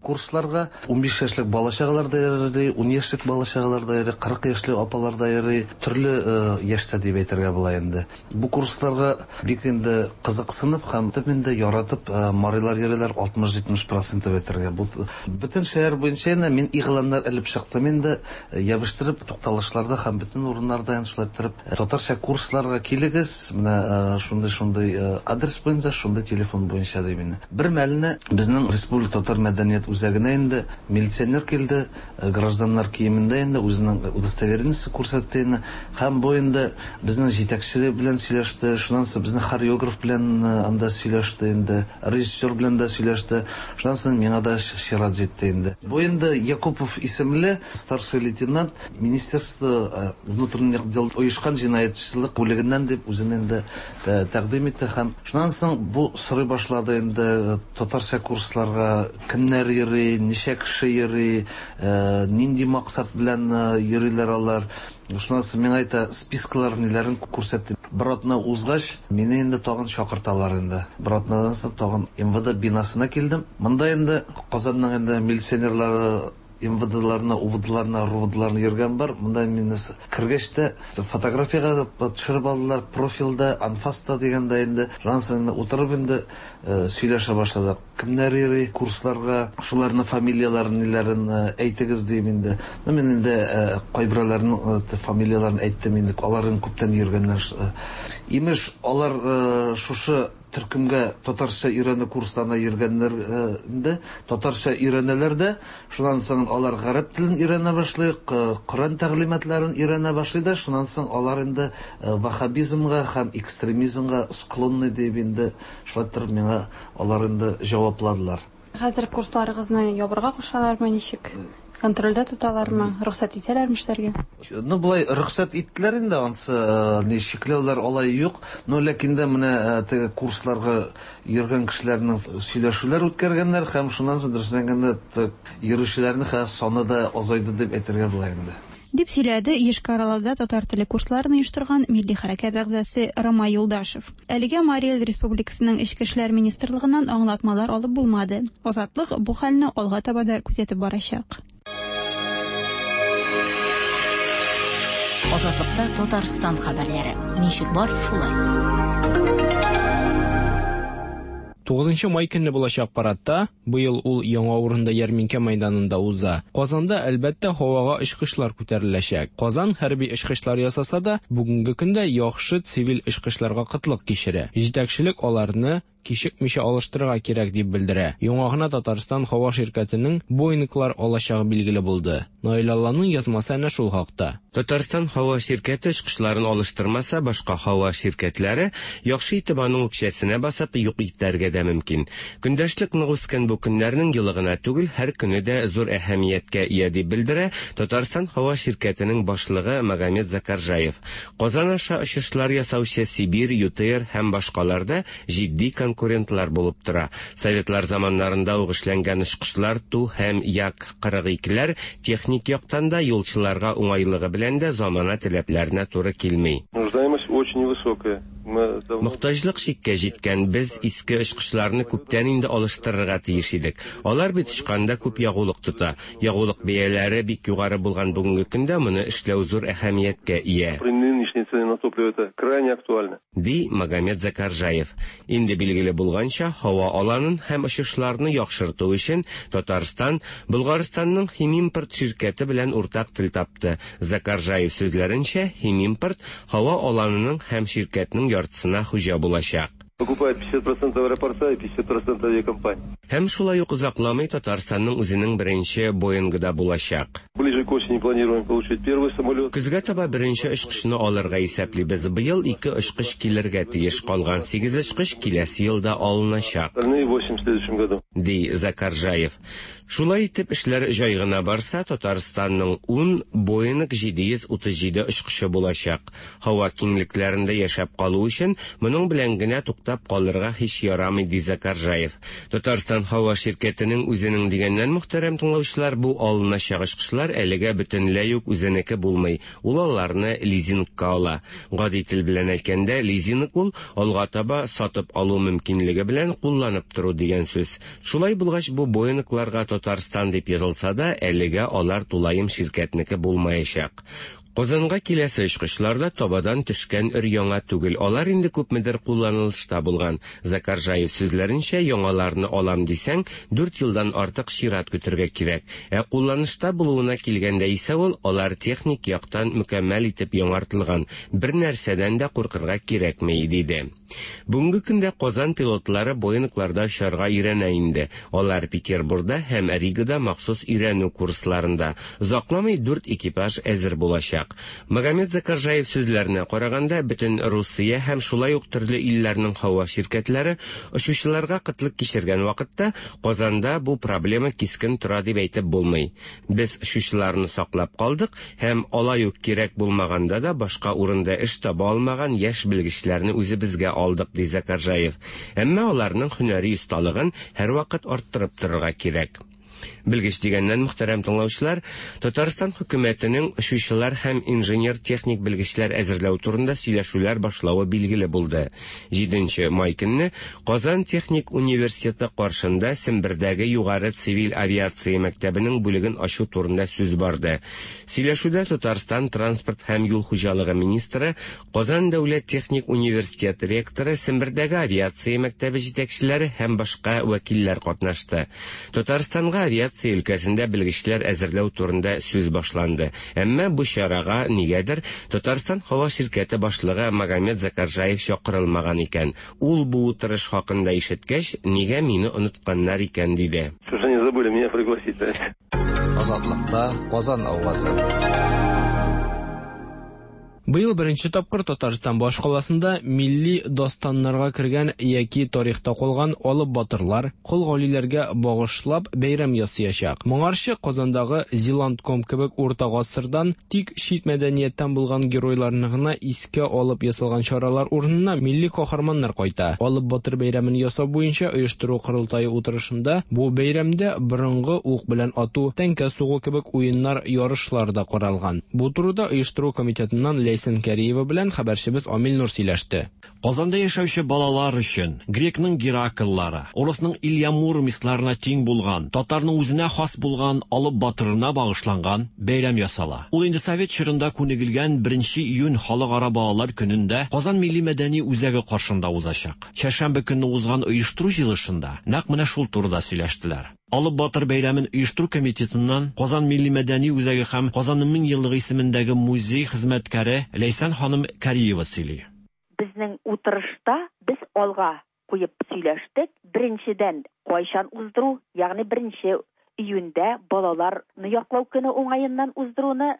Курсларга 15 яшьлек бала-чагалар да йөри, 10 яшьлек бала-чагалар да йөри, 40 яшьлек апалар да йөри, төрле яшьтә дип әйтергә була инде. Бу курсларга бик инде кызыксынып һәм инде яратып марилар йөриләр 60-70% дип әйтергә. Бу бөтен шәһәр буенча инде мин игъланнар элеп чыктым инде, ябыштырып тукталышларда һәм бөтен урыннарда инде шулай иттереп татарча курсларга килегез, менә шундый-шундый адрес буенча, шундый телефон буенча дип инде. Бер мәлне безнең Республика татар мәдәният үзәгенә инде милиционер килде, гражданнар киемендә инде үзенең удостоверениесе күрсәтте инде. Һәм бу инде безнең җитәкче белән сөйләште, шуннан соң безнең хореограф белән анда сөйләште инде, режиссер белән дә сөйләште. Шуннан соң миңа да чират җитте инде. Бу инде Якупов исемле старший лейтенант Министерство внутренних дел оешкан җинаятьчелек бүлегеннән дип үзен инде тәкъдим итте һәм шуннан соң бу сорый башлады инде татарча курсларга кемнәр йөри, ничә кеше йөри, нинди максат белән йөриләр алар. Шуннан соң миңа әйтә, спискалар ниләрен күрсәтте. Бер атна узгач, мине инде тагын чакырталар инде. Бер атнадан соң тагын МВД бинасына килдем. Монда инде Казанның инде милиционерлары МВДларына, УВДларына, РУВДларына йөргән бар. Монда мине кергәч тә фотографиягә төшереп алдылар, профилдә, анфаста дигәндә инде. Шуннан соң утырып инде сөйләшә башладык. Кемнәр йөри курсларга, шуларның фамилияләрен, ниләрен әйтегез дим инде. Ну, мин инде кайберәүләрнең фамилияләрен әйттем инде, аларның күптән йөргәннәр. Имеш, алар шушы төркемгә татарча өйрәнү курсларына йөргәннәр инде, татарча өйрәнәләр дә, шуннан соң алар гарәп телен өйрәнә башлый, Коръән тәгълиматларын өйрәнә башлый да, шуннан соң алар инде ваххабизмга һәм экстремизмга склонны дип инде шулай итеп миңа алар инде җавапладылар. Хәзер курсларыгызны ябырга кушалармы, ничек? Контрольдә тоталармы, рөхсәт итәләрме эшләргә? Ну, болай рөхсәт иттеләр инде, ансы ни чикләүләр алай юк. Но ләкин дә менә теге курсларга йөргән кешеләрнең сөйләшүләр үткәргәннәр һәм шуннан соң дөресен әйткәндә йөрүчеләрнең хәзер саны да азайды дип әйтергә була инде. Дип сөйләде Йошкар-Олада татар теле курсларын оештырган милли хәрәкәт әгъзасы Ромай Юлдашев. Әлегә Марий Эл Республикасының Эчке эшләр министрлыгыннан аңлатмалар алып булмады. Азатлык бу хәлне алга таба да күзәтеп барачак. Азатлыкта Татарстан хәбәрләре. Ничек бар, шулай. 9 май көнне булачак парадта, быел ул яңа урында ярминкә мәйданында уза. Казанда, әлбәттә, һавага очкычлар күтәреләчәк. Казан хәрби очкычлар ясаса да, бүгенге көндә яхшы цивиль очкычларга кытлык кичерә. Җитәкчелек аларны кичекмичә алыштырырга кирәк дип белдерә. Яңа гына Татарстан һава ширкәтенең Боинглар алачагы билгеле булды. Наил Алланың язмасы әнә шул хакта. Татарстан һава ширкәте очкычларын алыштырмаса, башка һава ширкәтләре, яхшы итеп аның үкчәсенә басып, юк итәргә дә мөмкин. Көндәшлек нык үскән бу көннәрнең елы гына түгел, һәр көне дә зур әһәмияткә ия, дип белдерә Татарстан һава ширкәтенең башлыгы Магомед Закаржаев. Казан аша очышлар ясаучы Сибирь, ЮТэйр һәм башкалар да җитди конкурентлар булып тора. Советлар заманнарында ук эшләнгән очкычлар Ту һәм Як-42ләр техник яктан да, юлчыларга уңайлыгы белән дә замана таләпләренә туры килми. Нуждаемость очень высокая. Мы давно... Мохтаҗлык чиккә җиткән, без иске очкычларны күптән инде алыштырырга тиеш идек. Алар бит очканда күп ягулык тота. Ягулык бәяләре бик югары булган бүгенге көндә моны эшләү зур әһәмияткә ия. При нынешней цене на топливо это крайне актуально. Ди Магомед Закаржаев. Инде билгеле булганча, һава аланын һәм очышларны яхшырту өчен Татарстан Болгарстанның Химимпорт ширкәте белән уртак тел тапты. Закаржаев сүзләренчә, Химимпорт һава аланының һәм ширкәтнең яртысына хуҗа булачак. Покупает 50% аэропорта и 50% авиакомпании. Һәм шулай ук озакламый Татарстанның үзенең беренче Боингы да булачак. Ближе к осени планируем получить первый самолет. Көзгә таба беренче очкычны алырга исәплибез. Быел ике очкыч килергә тиеш, калган сигез очкыч киләсе елда алыначак. Остальные 8 в следующем году. Ди Закаржаев. Шулай итеп, эшләр җай гына барса, Татарстанның ун Боинг 737 очкычы булачак. Һава киңлекләрендә яшәп калу өчен моның белән генә туктап калырга һич ярамый, ди Закаржаев. Татарстан һава ширкәтенең үзенең дигәннән, мөхтәрәм тыңлаучылар, бу алыначак очкычлар әлегә бөтенләй үк үзенеке булмый. Ул аларны лизингка ала. Гади тел белән әйткәндә, лизинг ул алга таба сатып алу мөмкинлеге белән кулланып тору дигән сүз. Шулай булгач, бу Боингларга Татарстан дип язылса да, әлегә алар тулаем ширкәтнеке булмаячак. Казанга киләсе очкычлар да табадан төшкән өр-яңа түгел, алар инде күпмедер кулланылышта булган. Закаржаев сүзләренчә, яңаларны алам дисәң, дүрт елдан артык чират көтәргә кирәк. Ә кулланышта булуына килгәндә исә ул, алар техник яктан мөкәммәл итеп яңартылган, бернәрсәдән дә куркырга кирәкми, диде. Бүгенге көндә Казан пилотлары Боингларда очарга өйрәнә инде. Алар Петербурда һәм Ригада махсус өйрәнү курсларында. Озакламый дүрт экипаж әзер булачак. Магомед Закаржаев сүзләренә караганда, бөтен Русия һәм шулай ук төрле илләрнең һава ширкәтләре очучыларга кытлык кичергән вакытта Казанда бу проблема кискен тора дип әйтеп булмый. Без очучыларны саклап калдык һәм алай ук кирәк булмаганда да башка урында эш таба алмаган яшь белгечләрне үзебезгә алдык, ди Закаржаев. Әмма аларның һөнәри осталыгын һәрвакыт арттырып торырга кирәк. Белгеч дигәннән, мөхтәрәм тыңлаучылар, Татарстан хөкүмәтенең очучылар һәм инженер-техник белгечләр әзерләү турында сөйләшүләр башлавы билгеле булды. 7 май көнне Казан техник университеты каршында Сембердәге югары цивиль авиация мәктәбенең бүлеген ачу турында сүз барды. Сөйләшүдә Татарстан транспорт һәм юл хуҗалыгы министры, Казан дәүләт техник университеты ректоры, Сембердәге авиация мәктәбе җитәкчеләре һәм башка вәкилләр катнашты. Татарстанга авиация өлкәсендә белгечләр әзерләү турында сүз башланды. Әмма бу чарага нигәдер Татарстан һава ширкәте башлыгы Магомед Закаржаев чакырылмаган икән. Ул бу утырыш хакында ишеткәч, нигә мине онытканнар икән, диде. Что же они забыли меня пригласить, а? Азатлыкта Казан авазы. Быел беренче тапкыр Татарстан башкаласында милли дастаннарга кергән яки тарихта калган алып батырлар, кол галиләргә багышлап бәйрәм ясаячак. Моңарчы Казандагы Зилантком кебек урта гасырдан тик чит мәдәнияттән булган геройларны гына искә алып ясалган чаралар урынына милли каһарманнар кайта. Алып батыр бәйрәмен ясау буенча оештыру корылтае утырышында бу бәйрәмдә борынгы ук белән ату, тәңкә сугу кебек уеннар, ярышлар да каралган. Бу турыда оештыру комитетыннан Ләйсән Кәриева белән хәбәрчебез Амил Нур сөйләште. Казанда яшәүче балалар өчен грекның Геракллары, урысның Илья Муромецларына тиң булган, татарның үзенә хас булган Алып батырына багышланган бәйрәм ясала. Ул инде совет чорында күнегелгән 1 июнь халыкара балалар көнендә Казан милли мәдәни үзәге каршында узачак. Чәршәмбе көнне узган оештыру җыелышында нәкъ менә шул турыда сөйләштеләр. Алып батыр бәйрәмен оештыру комитетыннан Казан милли мәдәни үзәге һәм Казанның 1000 еллыгы исемендәге музей хезмәткәре Ләйсән ханым Кариева сөйли. Безнең утырышта без алга куеп сөйләштек. Беренчедән, кайчан уздыру, ягъни 1 июньдә балаларны яклау көне уңаеннан уздыруны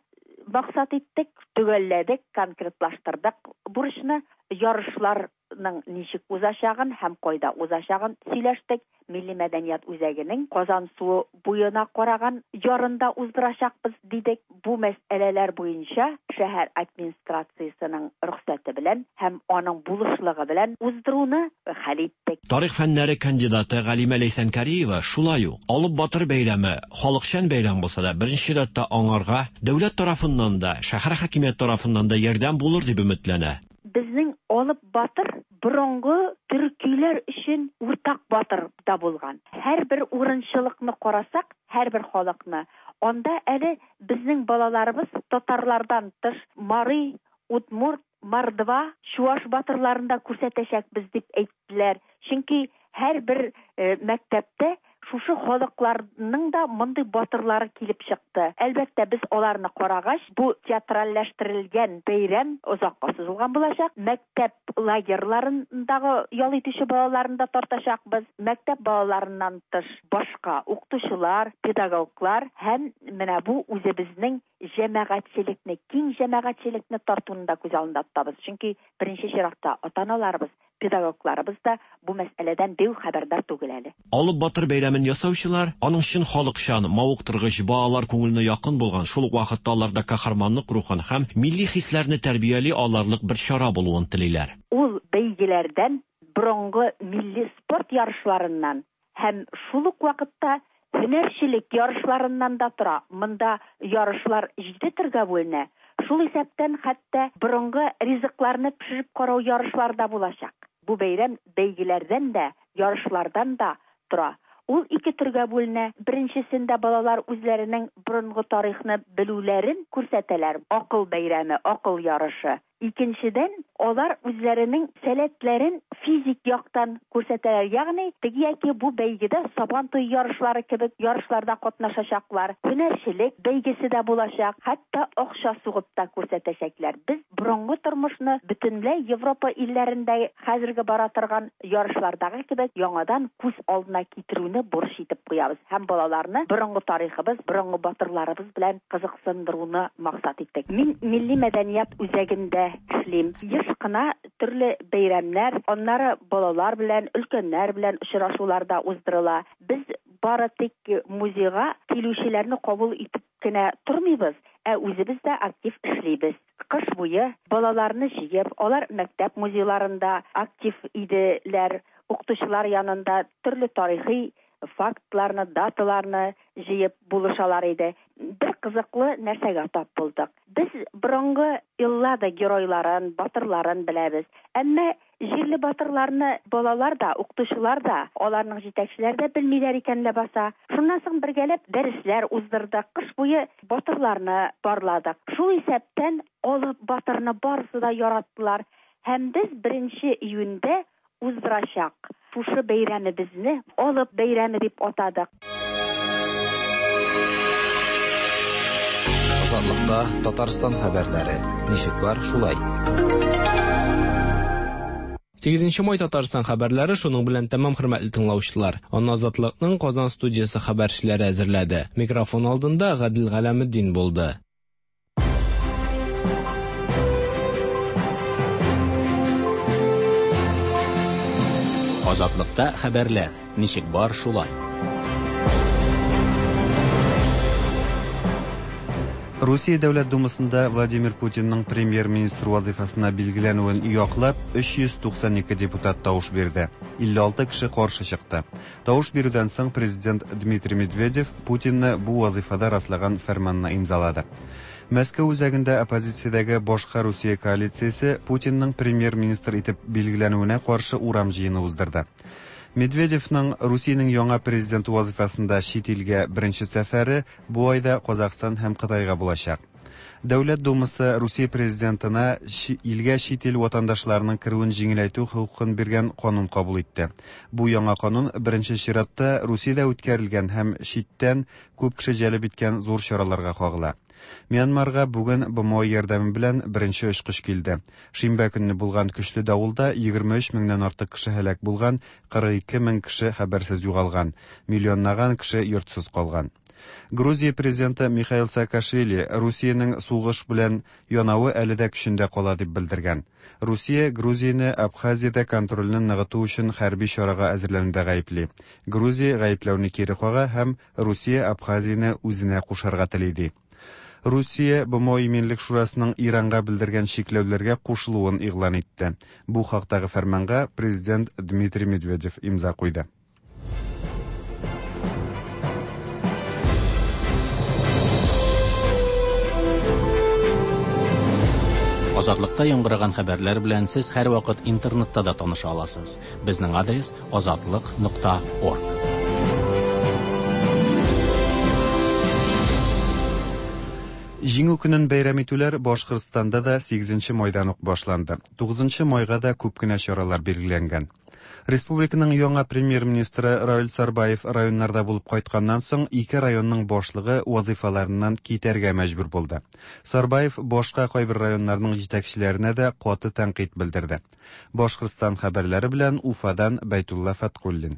максат иттек, төгәлләдек, конкретлаштырдык бурычны. Ярышларның ничек узачагын һәм кайда узачагын сөйләштек. Милли мәдәният үзәгенең Казан суы буена караган ярында уздырачакбыз, дидек. Бу мәсьәләләр буенча шәһәр администрациясенең рөхсәте белән һәм аның булышлыгы белән уздыруны хәл иттек. Тарих фәннәре кандидаты Галимә Ләйсән Кариева шулай ук Алып батыр бәйрәме халыкчан бәйрәм булса да, беренче чиратта аңарга дәүләт тарафыннан да, шәһәр хакимияте тарафыннан да ярдәм булыр дип өметләнә. Безнең Алып батыр борынгы төркиләр өчен уртак батыр да булган. Һәрбер урынчылыкны карасак, һәрбер халыкны, анда әле безнең балаларыбыз татарлардан тыш мари, удмурт, мордва, чуаш батырларын да күрсәтәчәкбез дип әйттеләр. Чөнки һәрбер мәктәптә шушы халыкларның да мондый батырлары килеп чыкты. Әлбәттә, без аларны карагач, бу театральләштерелгән бәйрәм озакка сузылган булачак. Мәктәп лагерьларындагы ял итүче балаларны да тартачакбыз. Мәктәп балаларыннан тыш башка укытучылар, педагоглар һәм менә бу үзебезнең җәмәгатьчелекне, киң җәмәгатьчелекне тартуны да күз алдында тотабыз. Чөнки беренче чиратта ата-аналарыбыз, педагогларыбыз да бу мәсьәләдән бик хәбәрдар түгел әле. Алып батыр бәйрәмен ясаучылар аның чын халыкчан, мавыктыргыч, балалар күңеленә якын булган, шул ук вакытта аларда каһарманлык рухын һәм милли хисләрне тәрбияли алырлык бер чара булуын телиләр. Ул бәйгеләрдән, борынгы милли спорт ярышларыннан һәм шул ук вакытта һөнәрчелек ярышларыннан да тора. Монда ярышлар 7 төргә бүленә. Шул исәптән хәтта борынгы ризыкларны пешереп карау ярышлары да булачак. Бу бәйрәм бәйгеләрдән дә, ярышлардан да тора. Ул ике төргә бүленә. Беренчесендә балалар үзләренең борынгы тарихны белүләрен күрсәтәләр. Акыл бәйрәме, акыл ярышы. Икенчедән, алар үзләренең сәләтләрен физик яктан күрсәтәләр, ягъни теге яки бу бәйгедә Сабан туе ярышлары кебек ярышларда катнашачаклар, һөнәрчелек бәйгесе дә булачак, хәтта акча сугып та күрсәтәчәкләр. Без борынгы тормышны бөтенләй Европа илләрендә хәзерге бара торган ярышлардагы кебек яңадан күз алдына китерүне бурыч итеп куябыз һәм балаларны борынгы тарихыбыз, борынгы батырларыбыз белән кызыксындыруны максат иттек. Мин Милли мәдәният үзәгендә эшлим. Еш кына төрле бәйрәмнәр, аннары балалар белән, өлкәннәр белән очрашулар да уздырыла. Без бары тик музейга килүчеләрне кабул итеп кенә тормыйбыз, ә үзебез дә актив эшлибез. Кыш буе балаларны җыеп, алар мәктәп музейларында актив иделәр, укытучылар янында төрле тарихи фактларны, даталарны җыеп булышалар иде. Бер кызыклы нәрсәгә тап булдык. Без борынгы Эллада геройларын, батырларын беләбез. Әмма җирле батырларны балалар да, укытучылар да, аларның җитәкчеләре дә белмиләр икән ләбаса. Шуннан соң бергәләп дәресләр уздырдык. Кыш буе батырларны барладык. Шул исәптән Алып батырны барысы да яраттылар. Һәм без 1 июньдә уздырачак шушы бәйрәмебезне Алып бәйрәме дип атадык. Азатлыкта Татарстан хәбәрләре. Ничек бар, шулай. 8 май Татарстан хәбәрләре шуның белән тәмам, хөрмәтле тыңлаучылар. Аны Азатлыкның Казан студиясе хәбәрчеләре әзерләде. Микрофон алдында Гадел Галәметдин булды. Азатлыкта хәбәрләр. Ничек бар, шулай. Русия Дәүләт Думасында Владимир Путинның премьер-министр вазыйфасына билгеләнүен яклап 392 депутат тавыш бирде. 56 кеше каршы чыкты. Тавыш бирүдән соң президент Дмитрий Медведев Путинны бу вазыйфада раслаган фәрманны имзалады. Мәскәү үзәгендә оппозициядәге Башка Русия коалициясе Путинның премьер-министр итеп билгеләнүенә каршы урам җыены уздырды. Медведевның Русиянең яңа президенты вазыйфасында чит илгә беренче сәфәре бу айда Казахстан һәм Кытайга булачак. Дәүләт Думасы Русия президентына илгә чит ил ватандашларының керүен җиңеләйтү хокукын биргән канун кабул итте. Бу яңа канун беренче чиратта Русиядә үткәрелгән һәм читтән күп кеше җәлеп иткән зур чараларга кагыла. Мьянмарга бүген БМО ярдәме белән беренче очкыч килде. Шимбә көнне булган көчле давылда 23 меңнән артык кеше һәлак булган, 42 мең кеше хәбәрсез югалган, миллионлаган кеше йортсыз калган. Грузия президенты Михаил Саакашвили Русиянең сугыш белән янавы әле дә көчендә кала дип белдергән. Русия Грузияне Абхазиядә контрольне ныгыту өчен хәрби чарага әзерләнүдә гаепли. Грузия гаепләүне кире кага һәм Русия Абхазияне үзенә кушарга тели ди. Русия БМО Иминлек шурасының Иранга белдергән чикләүләргә кушылуын игълан итте. Бу хактагы фәрманга президент Дмитрий Медведев имза куйды. Азатлыкта яңгыраган хәбәрләр белән сез һәрвакыт интернетта да таныша аласыз. Безнең адрес азатлык.орг. Җиңү көнен бәйрәм итүләр Башкортстанда да 8 майдан ук башланды. 9 майга да күп кенә чаралар билгеләнгән. Республиканың яңа премьер-министры Равил Сарбаев районнарда булып кайтканнан соң ике районның башлыгы вазыйфаларыннан китәргә мәҗбүр булды. Сарбаев башка кайбер районнарның җитәкчеләренә дә каты тәнкыйть белдерде. Башкортстан хәбәрләре белән Уфадан Бәйтулла Фәткуллин.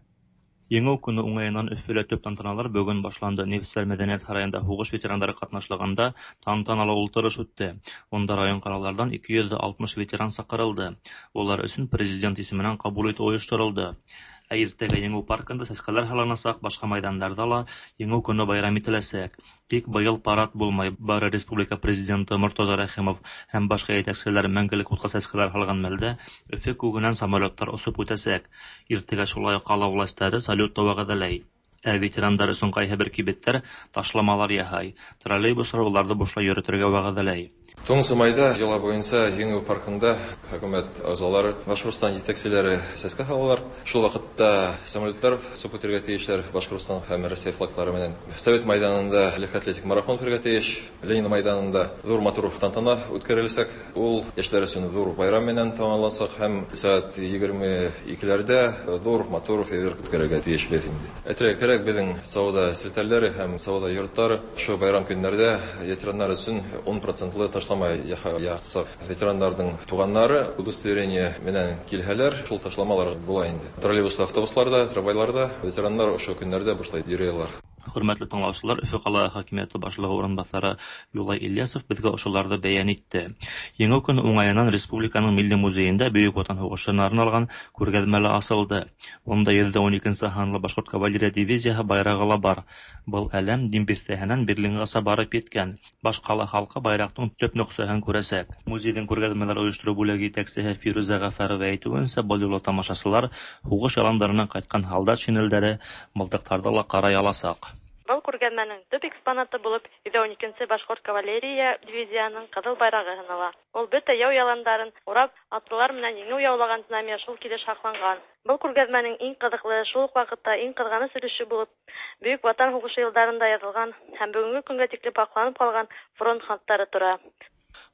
Еңү көне уңаеннан Өфөлә төп тантаналар бүген башланды. Нефтьчеләр мәдәният һараенда һугыш ветераннары катнашлыгында тантаналы ултырыш үтте. Унда район-калалардан 260 ветеран чакырылды. Улар өчен президент исеменнән кабул итү оештырылды. Ә иртәгә Еңү паркында сәскәләр һалыначак, башка майданнарда ла Еңү көне байрам ителәчәк. Тик быел парад булмай, бары республика президенты Мортаза Рәхимов һәм башка җитәкчеләр мәңгелек утка сәскәләр һалган мәлдә Өфе күгеннән самолетлар очып үтәчәк. Иртәгә шулай ук кала властьлары салют та вәгъдәләй. Ә ветерандар өчен кайһы кибетләр ташламалар яһай. Троллейбуслар уларны бушлай йөртергә вәгъдәләй. 9 майда йола буенча Еңү паркында хөкүмәт әгъзалары, Башкортстан җитәкчеләре сәскә һалалар. Шул вакытта самолетлар очып үтәргә тиешләр Башкортстан һәм Россия флаглары белән. Совет майданында легкий атлетик марафон үтәргә тиеш. Ленин майданында зур матур тантана үткәрелсәк, ул яшьләр өчен зур байрам менән тәмамлансак һәм сәгать 22-ләрдә зур матур фейерверк үткәрергә тиешбез инде. Әйтергә кирәк, безнең сәүдә челтәрләре һәм сәүдә йортлары шу байрам көннәрдә ветераннар өчен 10% ташлама ясап. Ветераннарның туганнары удостоверение менән килһәләр, шул ташламалар була инде. Троллейбуслы автобусларда, трамвайларда ветераннар ошо көннәрдә бушлай йөри алар. Хөрмәтле тыңлаучылар, Өфө кала хакимияте башлыгы урынбасары Юлай Ильясов безгә ошоларны бәян итте. Еңү көне уңаеннан Республиканың Милли музеенда Бөек Ватан һугышына арналган күргәзмә асылды. Унда 112 һанлы Башкорт кавалерия дивизияһы байрагы ла бар. Был әләм Дим бистәһеннән Берлингаса барып еткән. Башкала халкы байрактың төп нөксәһен күрәсәк. Музейның күргәзмәләр оештыру бүлеге җитәкчесе Фирүзә Гафарова әйтүенчә, был юлы тамашачылар һугыш яландарыннан кайткан һалдат шинельдәре, мылтыктарды ла карай аласак. Был күргәҙмәнең төп экспонаты булып 112 Башҡорт кавалерия дивизияһының ҡыҙыл байрағы һанала. Ул бөтә яу яландарын урап, атлылар менән еңеү яулаған знамя шул килеш һаҡланған. Был күргәҙмәнең иң ҡыҙыҡлы, шул уҡ ваҡытта иң ҡыҙғаныс өлөшө булып, Бөйөк Ватан һуғышы йылдарында яҙылған һәм бөгөнгө көнгә тиклем һаҡланып ҡалған фронт хаттары тора.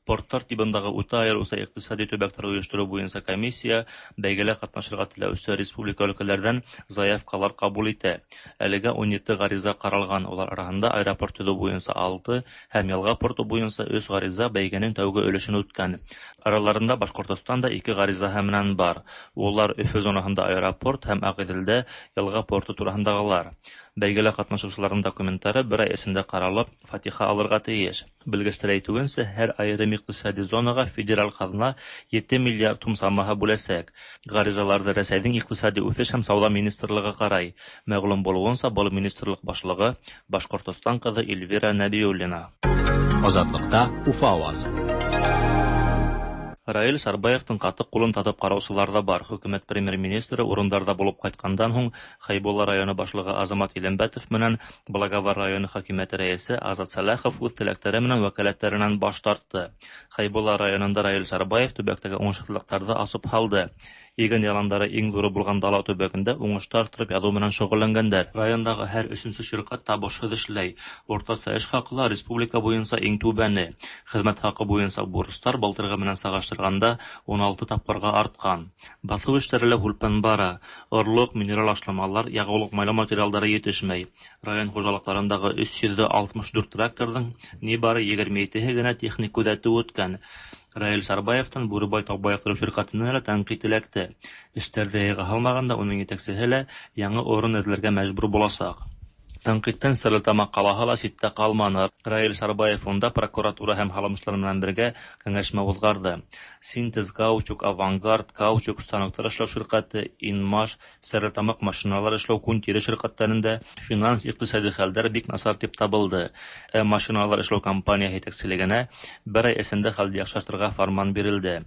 Порттар тибындагы үтә айырыуса икътисади төбәктәр оештыру буенча комиссия бәйгелә катнашырга теләүче республика өлкәләрдән заявкалар кабул итә. Әлегә 17 гариза каралган, улар араһында аэропорт төзү буенча 6 һәм елга порты буенча 3 гариза бәйгенең тәүге өлешен үткән. Араларында Башкортостанда 2 гариза һәмнән бар. Улар Өфө зонаһында аэропорт һәм Ағиҙелдә елга порты тураһындагылар. Бәйгелә катнашучыларның документлары бер ай эчендә каралып, фатиха алырга тиеш. Белгечләр әйтүенчә, һәр айрым икътисади зонага федераль казна 7 миллиард сум самаһы бүләсәк. Гаризаларны Рәсәйнең икътисади үсеш һәм сәүдә министрлыгы карай. Мәгълүм булуынча, был министрлык башлыгы Башкортостан кызы Эльвира Нәбиуллина. Азатлыкта Уфа авазы. Раил Сарбаевтың каты кулын татып караучылар да бар. Хөкүмәт премьер-министры урындарда булып кайткандан һуң Хәйбулла районы башлыгы Азамат Илембәтов менән Благовар районы хакимияте рәисе Азат Сәлахов үз теләкләре менән вәкаләтләреннән баш тартты. Хәйбулла районында Раил Сарбаев төбәктәге уңышсызлыкларды асып һалды. Иген яландары иң зуры булган Дала төбәгендә уңышты арттырып язу менән шөгыльләнгәннәр. Райондагы һәр өченче ширкәт табышсыз эшләй. Уртача эш хакы ла республика буенча иң түбәне. Хезмәт хакы буенча бурычлар былтыргы менән чагыштырганда 16 тапкырга арткан. Басу эшләре лә һүлпән бара. Орлык, минераль ашламалар, ягулык-майлау материалдары җитешмәй. Район хуҗалыкларындагы 364 тракторның нибары 27 һе генә техник күзәтү үткән. Раил Сарбаевтан Бүребай тау баектыру ширкатеннән лә тәнкыйть эләкте. Эшләрдә җайга һалмаганда уның җитәкчеһе лә яңа урын эзләргә мәҗбүр булачак. Тәнкыйтьтән Стәрлетамак калаһы ла читтә калманы. Раил Сарбаев унда прокуратура һәм һалымчылар белән бергә киңәшмә узгарды. Синтез каучук, Авангард, каучук станоклар эшләү ширкате, Инмаш, Стәрлетамак машиналар эшләү күн-тире ширкәтләрендә финанс-икътисади хәлләр бик начар дип табылды. Ә машиналар эшләү компанияһе җитәкчелегенә бер ай эчендә хәлне яхшыртырга фәрман бирелде.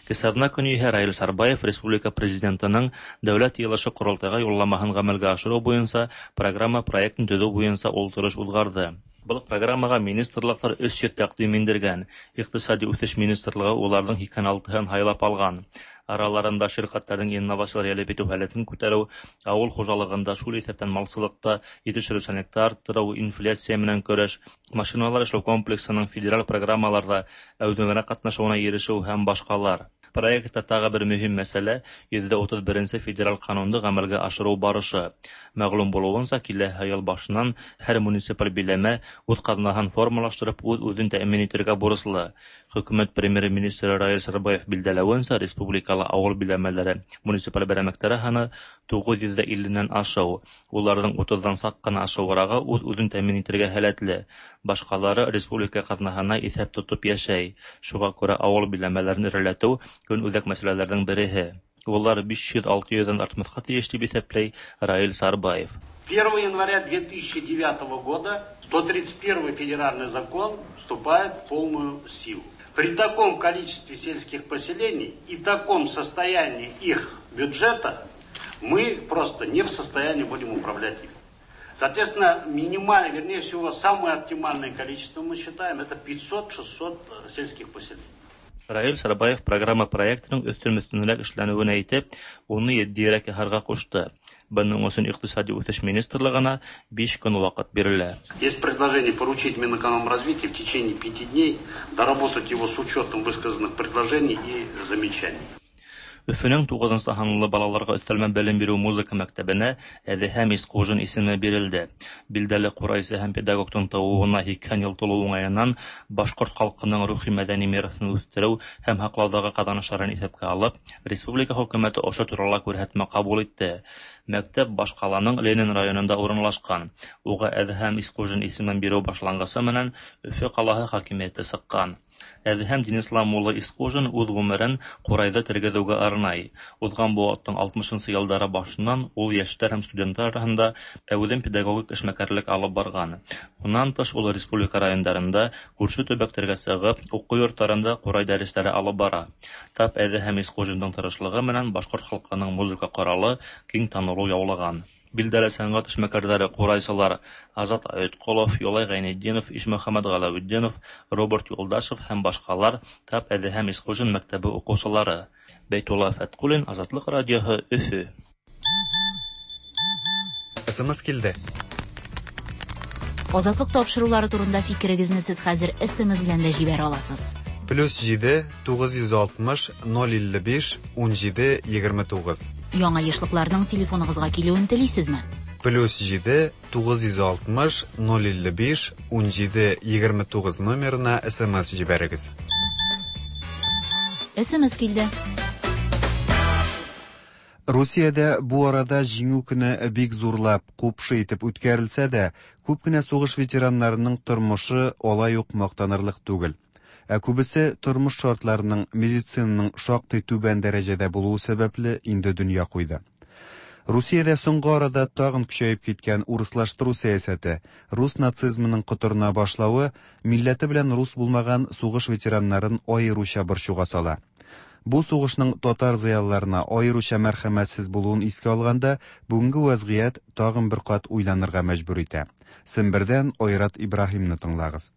Кесарна көне иһә Раил Сарбаев республика Президентының Дәүләт ыелышы-Корылтайга юлламаһын гамәлгә ашыру буенча программа проектын төзү буенча ултырыш узгарды. Был программага министрлыклар 300 тәкъдим индергән. Икътисади үсеш министрлыгы уларның 86-һын һайлап алган. Араларында ширкәтләрнең инновацияләр җәлеп итү һәләтен күтәрү, авыл хуҗалыгында, шул исәптән малчылыкта җитештерүчәнлекне арттыру, инфляция менән көрәш, машиналар эшләү комплексының федераль программаларда әүдемрәк катнашуына ирешү һәм башкалар. Проектта тагы бер мөһим мәсьәлә, 131 нче федераль канунны гамәлгә ашыру барышы. Мәгълүм булуынча, киләһе ел башыннан һәр муниципаль биләмә үз казнаһын формалаштырып, үз-үзен тәэмин итәргә бурычлы. Хөкүмәт Премьер-министры Раил Сарбаев билдәләвенчә, республикала авыл биләмәләре муниципаль берәмлекләре саны 950 нән ашыу. Уларның утыздан сак кына ашыграгы үз-үзен тәэмин итәргә һәләтле. Башкалары республика казнаһына исәп тотып яшәй. Шуга күрә авыл биләмәләрен эреләтү, көнүзәк мәсьәләләрнең береһе. Улар 500-600 дән артмаска тиеш, дип исәпләй Раил Сарбаев. 1 января 2009 года 131 федеральный закон вступает в полную силу. При таком количестве сельских поселений и таком состоянии их бюджета мы просто не в состоянии будем управлять ими. Соответственно, минимально, вернее всего, самое оптимальное количество мы считаем, это 500-600 сельских поселений. Раил Сарбаев программа проектының өстен-өстенрәк эшләнүен әйтеп, уны етдиерәк яһарга кушты. Бының өчен Икътисади үсеш министрлыгына 5 көн вакыт бирелә. Есть предложение поручить Минэкономразвитию в течение 5 дней доработать его с учетом высказанных предложений и замечаний. Өфөнең тугызынчы һанлы балаларга өстәлмә белем бирү музыка мәктәбенә Әдеһәм Искужин исеме бирелде. Билдәле курайчы һәм педагогның тууына 80 ел тулу уңаеннан башкорт халкының рухи-мәдәни мирасын үстерү һәм һаклаудагы казанышларын исәпкә алып, республика хөкүмәте ошо турала күрһәтмә кабул итте. Мәктәп башкаланың Ленин районында урынлашкан. Уга Әдһәм Искужин исемен бирү башлангычы менән Өфө калаһы хакимияте чыккан. Әдһәм Динислам улы Искужин үз гомерен курайда тергезүгә арнай. Узган быуаттың 60 нчы елдары башыннан ул яшьләр һәм студентлар арасында әүдем педагогик эшмәкәрлек алып барган. Уннан тыш ул республика районнарында, күрше төбәкләргә чыгып, уку йортларында курай дәресләре алып бара. Тап Әдһәм Искужинның тырышлыгы менән башкорт халкының музыка коралы киң танылу яулаган. Билдәле сәнгать эшмәкәрләре курайчылар Азат Айтколов, Юлай Гайнетдинов, Ишмөхәммәт Галәветдинов, Роберт Юлдашев һәм башкалар тап Әдеһәм Исхужин мәктәбе укучылары. Бәйтулла Фәткуллин, Азатлык радиоһы, Өфө. СМС килде. Азатлык тапшырулары турында фикерегезне сез хәзер СМС белән дә җибәрә аласыз. Плюс 7 960 055 17 29. Яңа ешлыкларның телефоныгызга килүен телисезме? Плюс 7 960 055 17 29 номерына СМС җибәрегез. СМС килде. Русиядә бу арада Җиңү көне бик зурлап, купшы итеп үткәрелсә дә, күп кенә сугыш ветераннарының тормышы алай ук мактанырлык түгел. Ә күбесе тормыш шартларының, медицинаның шактый түбән дәрәҗәдә булуы сәбәпле инде дөнья куйды. Русиядә соңгы арада тагын көчәеп киткән урыслаштыру сәясәте, рус нацизмының котырына башлавы милләте белән рус булмаган сугыш ветераннарын аеруча борчуга сала. Бу сугышның татар зыялыларына аеруча мәрхәмәтсез булуын искә алганда, бүгенге вәзгыять тагын бер кат уйланырга мәҗбүр итә. Сембердән Айрат Ибраһимны тыңлагыз.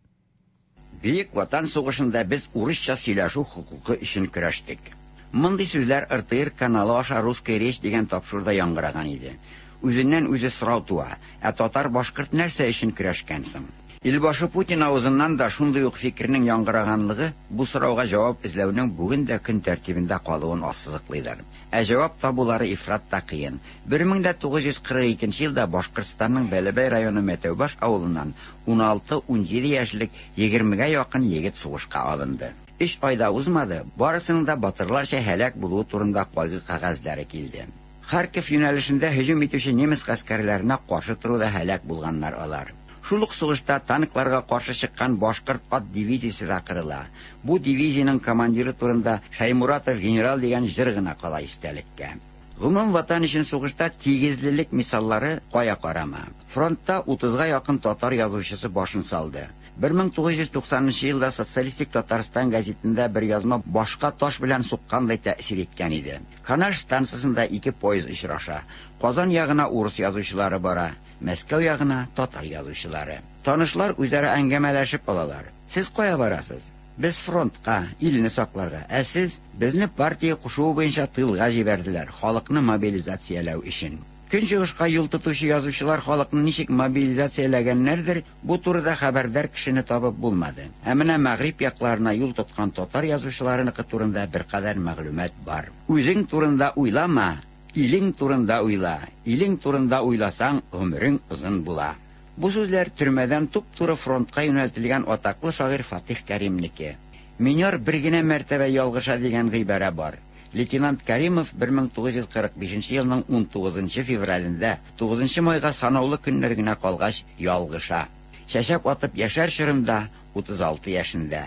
Бөек Ватан сугышында без урысча сөйләшү хокукы өчен көрәштек. Мондый сүзләр РТР каналы аша Русская речь дигән тапшыруда яңгыраган иде. Үзеннән-үзе сорау туа, ә татар-башкорт нәрсә өчен көрәшкән соң? Илбашы Путин авызыннан да шундый ук фикернең яңгыраганлыгы бу сорауга җавап эзләүнең бүген дә көн тәртибендә калуын ассызыклыйдыр. Ә җавап табулары ифрат та кыен. 1942 нче елда Башкортстанның Бәләбәй районы Мәтәүбаш авылыннан 16-17 яшьлек егермегә якын егет сугышка алынды. Өч ай да узмады, барысының да батырларча һәлак булуы турында кайгы кәгазьләре килде. Харьков юнәлешендә һөҗүм итүче немец гаскәрләренә каршы торуда һәлак булганнар алар. Шул ук сугышта танкларга каршы чыккан башкорт ат дивизиясе дә кырыла. Бу дивизиянең командиры турында Шәймуратов генерал дигән җыр гына кала истәлеккә. Гомум Ватан өчен сугышта тигезлелек мисаллары кая карама. Фронтта утызга якын татар язучысы башын салды. 1990 нчы елда Социалистик Татарстан гәзитендә бер язма башка таш белән суккандай тәэсир иткән иде. Канаш станцасында ике поезд очраша. Казан ягына урыс язучылары бара, Мәскәү ягына, татар язучылары. Танышлар үзара әңгәмәләшеп алалар. Сез кая барасыз? Без фронтка, илне сакларга, ә сез? Безне партия кушуы буенча тылга җибәрделәр, халыкны мобилизацияләү өчен. Көнчыгышка юл тотучы язучылар халыкны ничек мобилизацияләгәннәрдер, бу турыда хәбәрдар кешене табып булмады. Ә менә мәгъриб якларына юл тоткан татар язучыларыныкы турында беркадәр мәгълүмат бар. Үзең турында уйлама, илең турында уйла, илең турында уйласаң, гомерең озын була. Бу сүзләр төрмәдән туп-туры фронтка юнәлтелгән атаклы шагыйрь Фатих Кәримнеке. Минер бер генә мәртәбә ялгыша дигән гыйбарә бар. Лейтенант Кәримов 1945 нче елның унтугызынчы февралендә, тугызынчы майга санаулы көннәр генә калгач, ялгыша. Чәчәк атып яшәр чорында, 36 яшендә.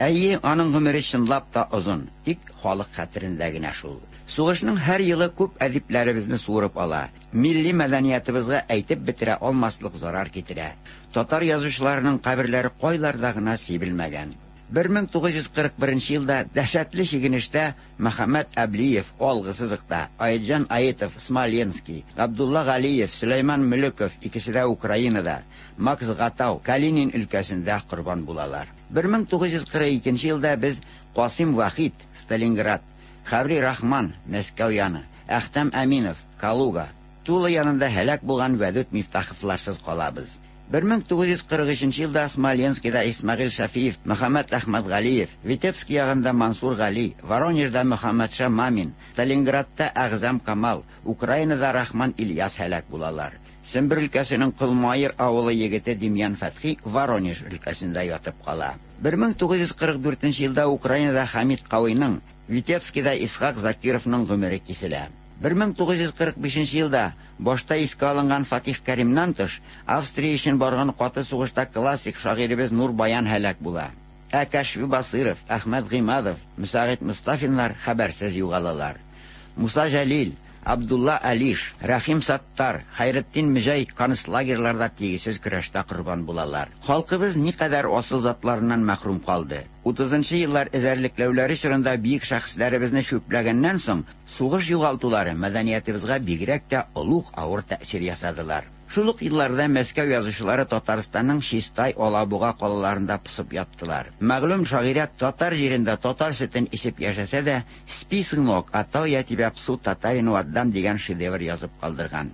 Әйе, аның гомере чынлап та озын, тик халык хәтерендә генә шул. Сугышның һәр елы күп әдипләребезне суырып ала. Милли мәдәниятыбызга әйтеп бетерә алмаслык зарар китерә. Татар язучыларының каберләре кайларда гына сибелмәгән. 1941 нче елда дәһшәтле чигенештә Мөхәммәт Әблиев, алгы сызыкта, Аетҗан Аитов, Смоленски, Габдулла Галиев, Сөләйман Мөлеков, икесе дә Украинада, Макс Гатау, Калинин өлкәсендә корбан булалар. 1942 нче елда без Касыйм Вахит, Сталинград, Хәбри Рахман, Мәскәү яны, Әхтәм Әминов, Калуга, Тула янында һәлак булган Вәдүт Мифтаховларсыз калабыз. 1943 нче елда Смоленскида Исмәгыйль Шәфиев, Мөхәммәт Әхмәтгалиев, Витебски ягында Мансур Гали, Воронежда Мөхәммәтша Мамин, Сталинградта Әгъзам Камал, Украинада Рахман Ильяс һәлак булалар. Сембер өлкәсенең Колмаер авылы егете Демьян Фәтхи Воронеж өлкәсендә ятып кала. 1944 нче елда Украинада Хәмит Кавыйның, Витебскида Исхак Закировның гомере киселә. 1945 нче елда, башта искә алынган Фатих Кәримнән тыш, Австрия өчен барган каты сугышта классик шагыйребез Нур Баян һәлак була. Ә Кәшфи Басыйров, Әхмәт Гыймадов, Мөсәгыйть Мостафиннар хәбәрсез югалалар. Муса Җәлил, Абдулла Алиш, Рәхим Саттар, Хәйретдин Мөҗәй концлагерьларда тигезсез көрәштә корбан булалар. Халкыбыз никадәр асыл затларыннан мәхрүм калды. Утызынчы еллар эзәрлекләүләре чорында бөек шәхесләребезне чүпләгәннән соң, сугыш югалтулары мәдәниятыбызга бигрәк тә олуг авыр тәэсир ясадылар. Шул ук елларда Мәскәү язучылары Татарстанның Чистай, Алабуга калаларында посып яттылар. Мәгълүм шагыйрә татар җирендә татар сөтен эчеп яшәсә дә, Спи, сынок, а то я тебя псу татарину отдам дигән шедевр язып калдырган.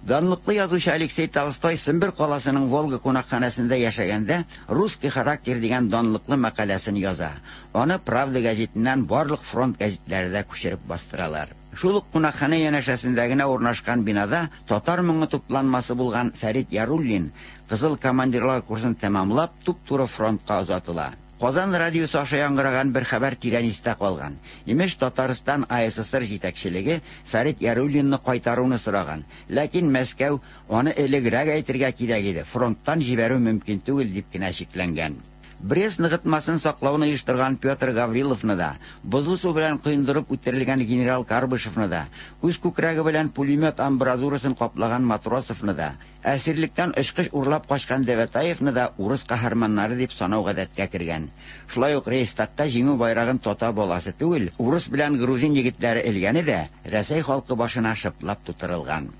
Данлыклы язучы Алексей Толстой Сембер каласының Волга кунакханәсендә яшәгәндә Русский характер дигән данлыклы мәкаләсен яза. Аны Правда гәзитеннән барлык фронт гәзитләре дә күчереп бастыралар. Шул ук кунакханә янәшәсендә генә урнашкан бинада татар моңы тупланмасы булган Фәрит Яруллин, кызыл командирлар курсын тәмамлап, туп-туры фронтка озатыла. Казан радиосы аша яңгыраган бер хәбәр тирән истә калган. Имеш, Татарстан АССР җитәкчелеге Фәрит Яруллинны кайтаруны сораган. Ләкин Мәскәү, аны элегрәк әйтергә кирәк иде, фронттан җибәрү мөмкин түгел, дип кенә чикләнгән. Брест ныгытмасын саклауны оештырган Петр Гавриловны да, бозлы су белән коендырып үтерелгән генерал Карбышевны да, үз күкрәге белән пулемет амбразурасын каплаган Матросовны да, әсирлектән очкыч урлап качкан Девятаевны да урыс каһарманнары дип санау гадәткә кергән. Шулай ук Рейхстагта Җиңү байрагын татар баласы түгел, урыс белән грузин егетләре элгәне дә Рәсәй халкы башына шыплап тутырылган.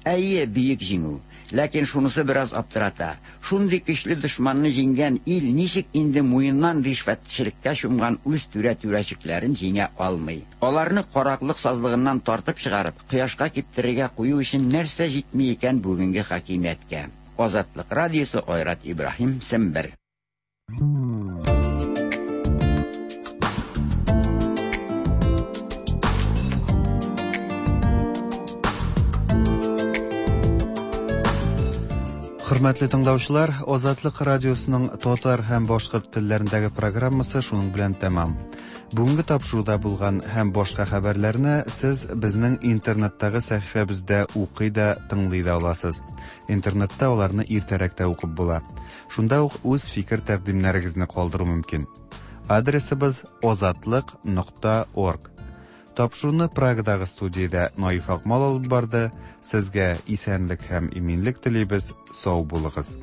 Әйе, бөек җиңү. Ләкин шунысы бераз аптырата. Шундый көчле дошманны җиңгән ил ничек инде муеннан ришвәтчелеккә чумган үз түрә-түрәчекләрен җиңә алмый? Аларны караклык сазлыгыннан тартып чыгарып, кояшка киптерергә кую өчен нәрсә җитми икән бүгенге хакимияткә? Азатлык радиосы, Айрат Ибраһим, Сембер. Хөрмәтле тыңлаучылар, Азатлык радиосының татар һәм башкорт телләрендәге программасы шуның белән тәмам. Бүгенге тапшыруда булган һәм башка хәбәрләрне сез безнең интернеттагы сәхифәбездә укый да, тыңлый да аласыз. Интернетта аларны иртәрәк тә укып була. Шунда ук үз фикер-тәкъдимнәрегезне калдыру мөмкин. Адресыбыз озатлык нокта орг. Тапшыруны Прагадагы студиядә Наиф Акмал алып барды. Сезгә исәнлек һәм иминлек телибез. Сау булыгыз.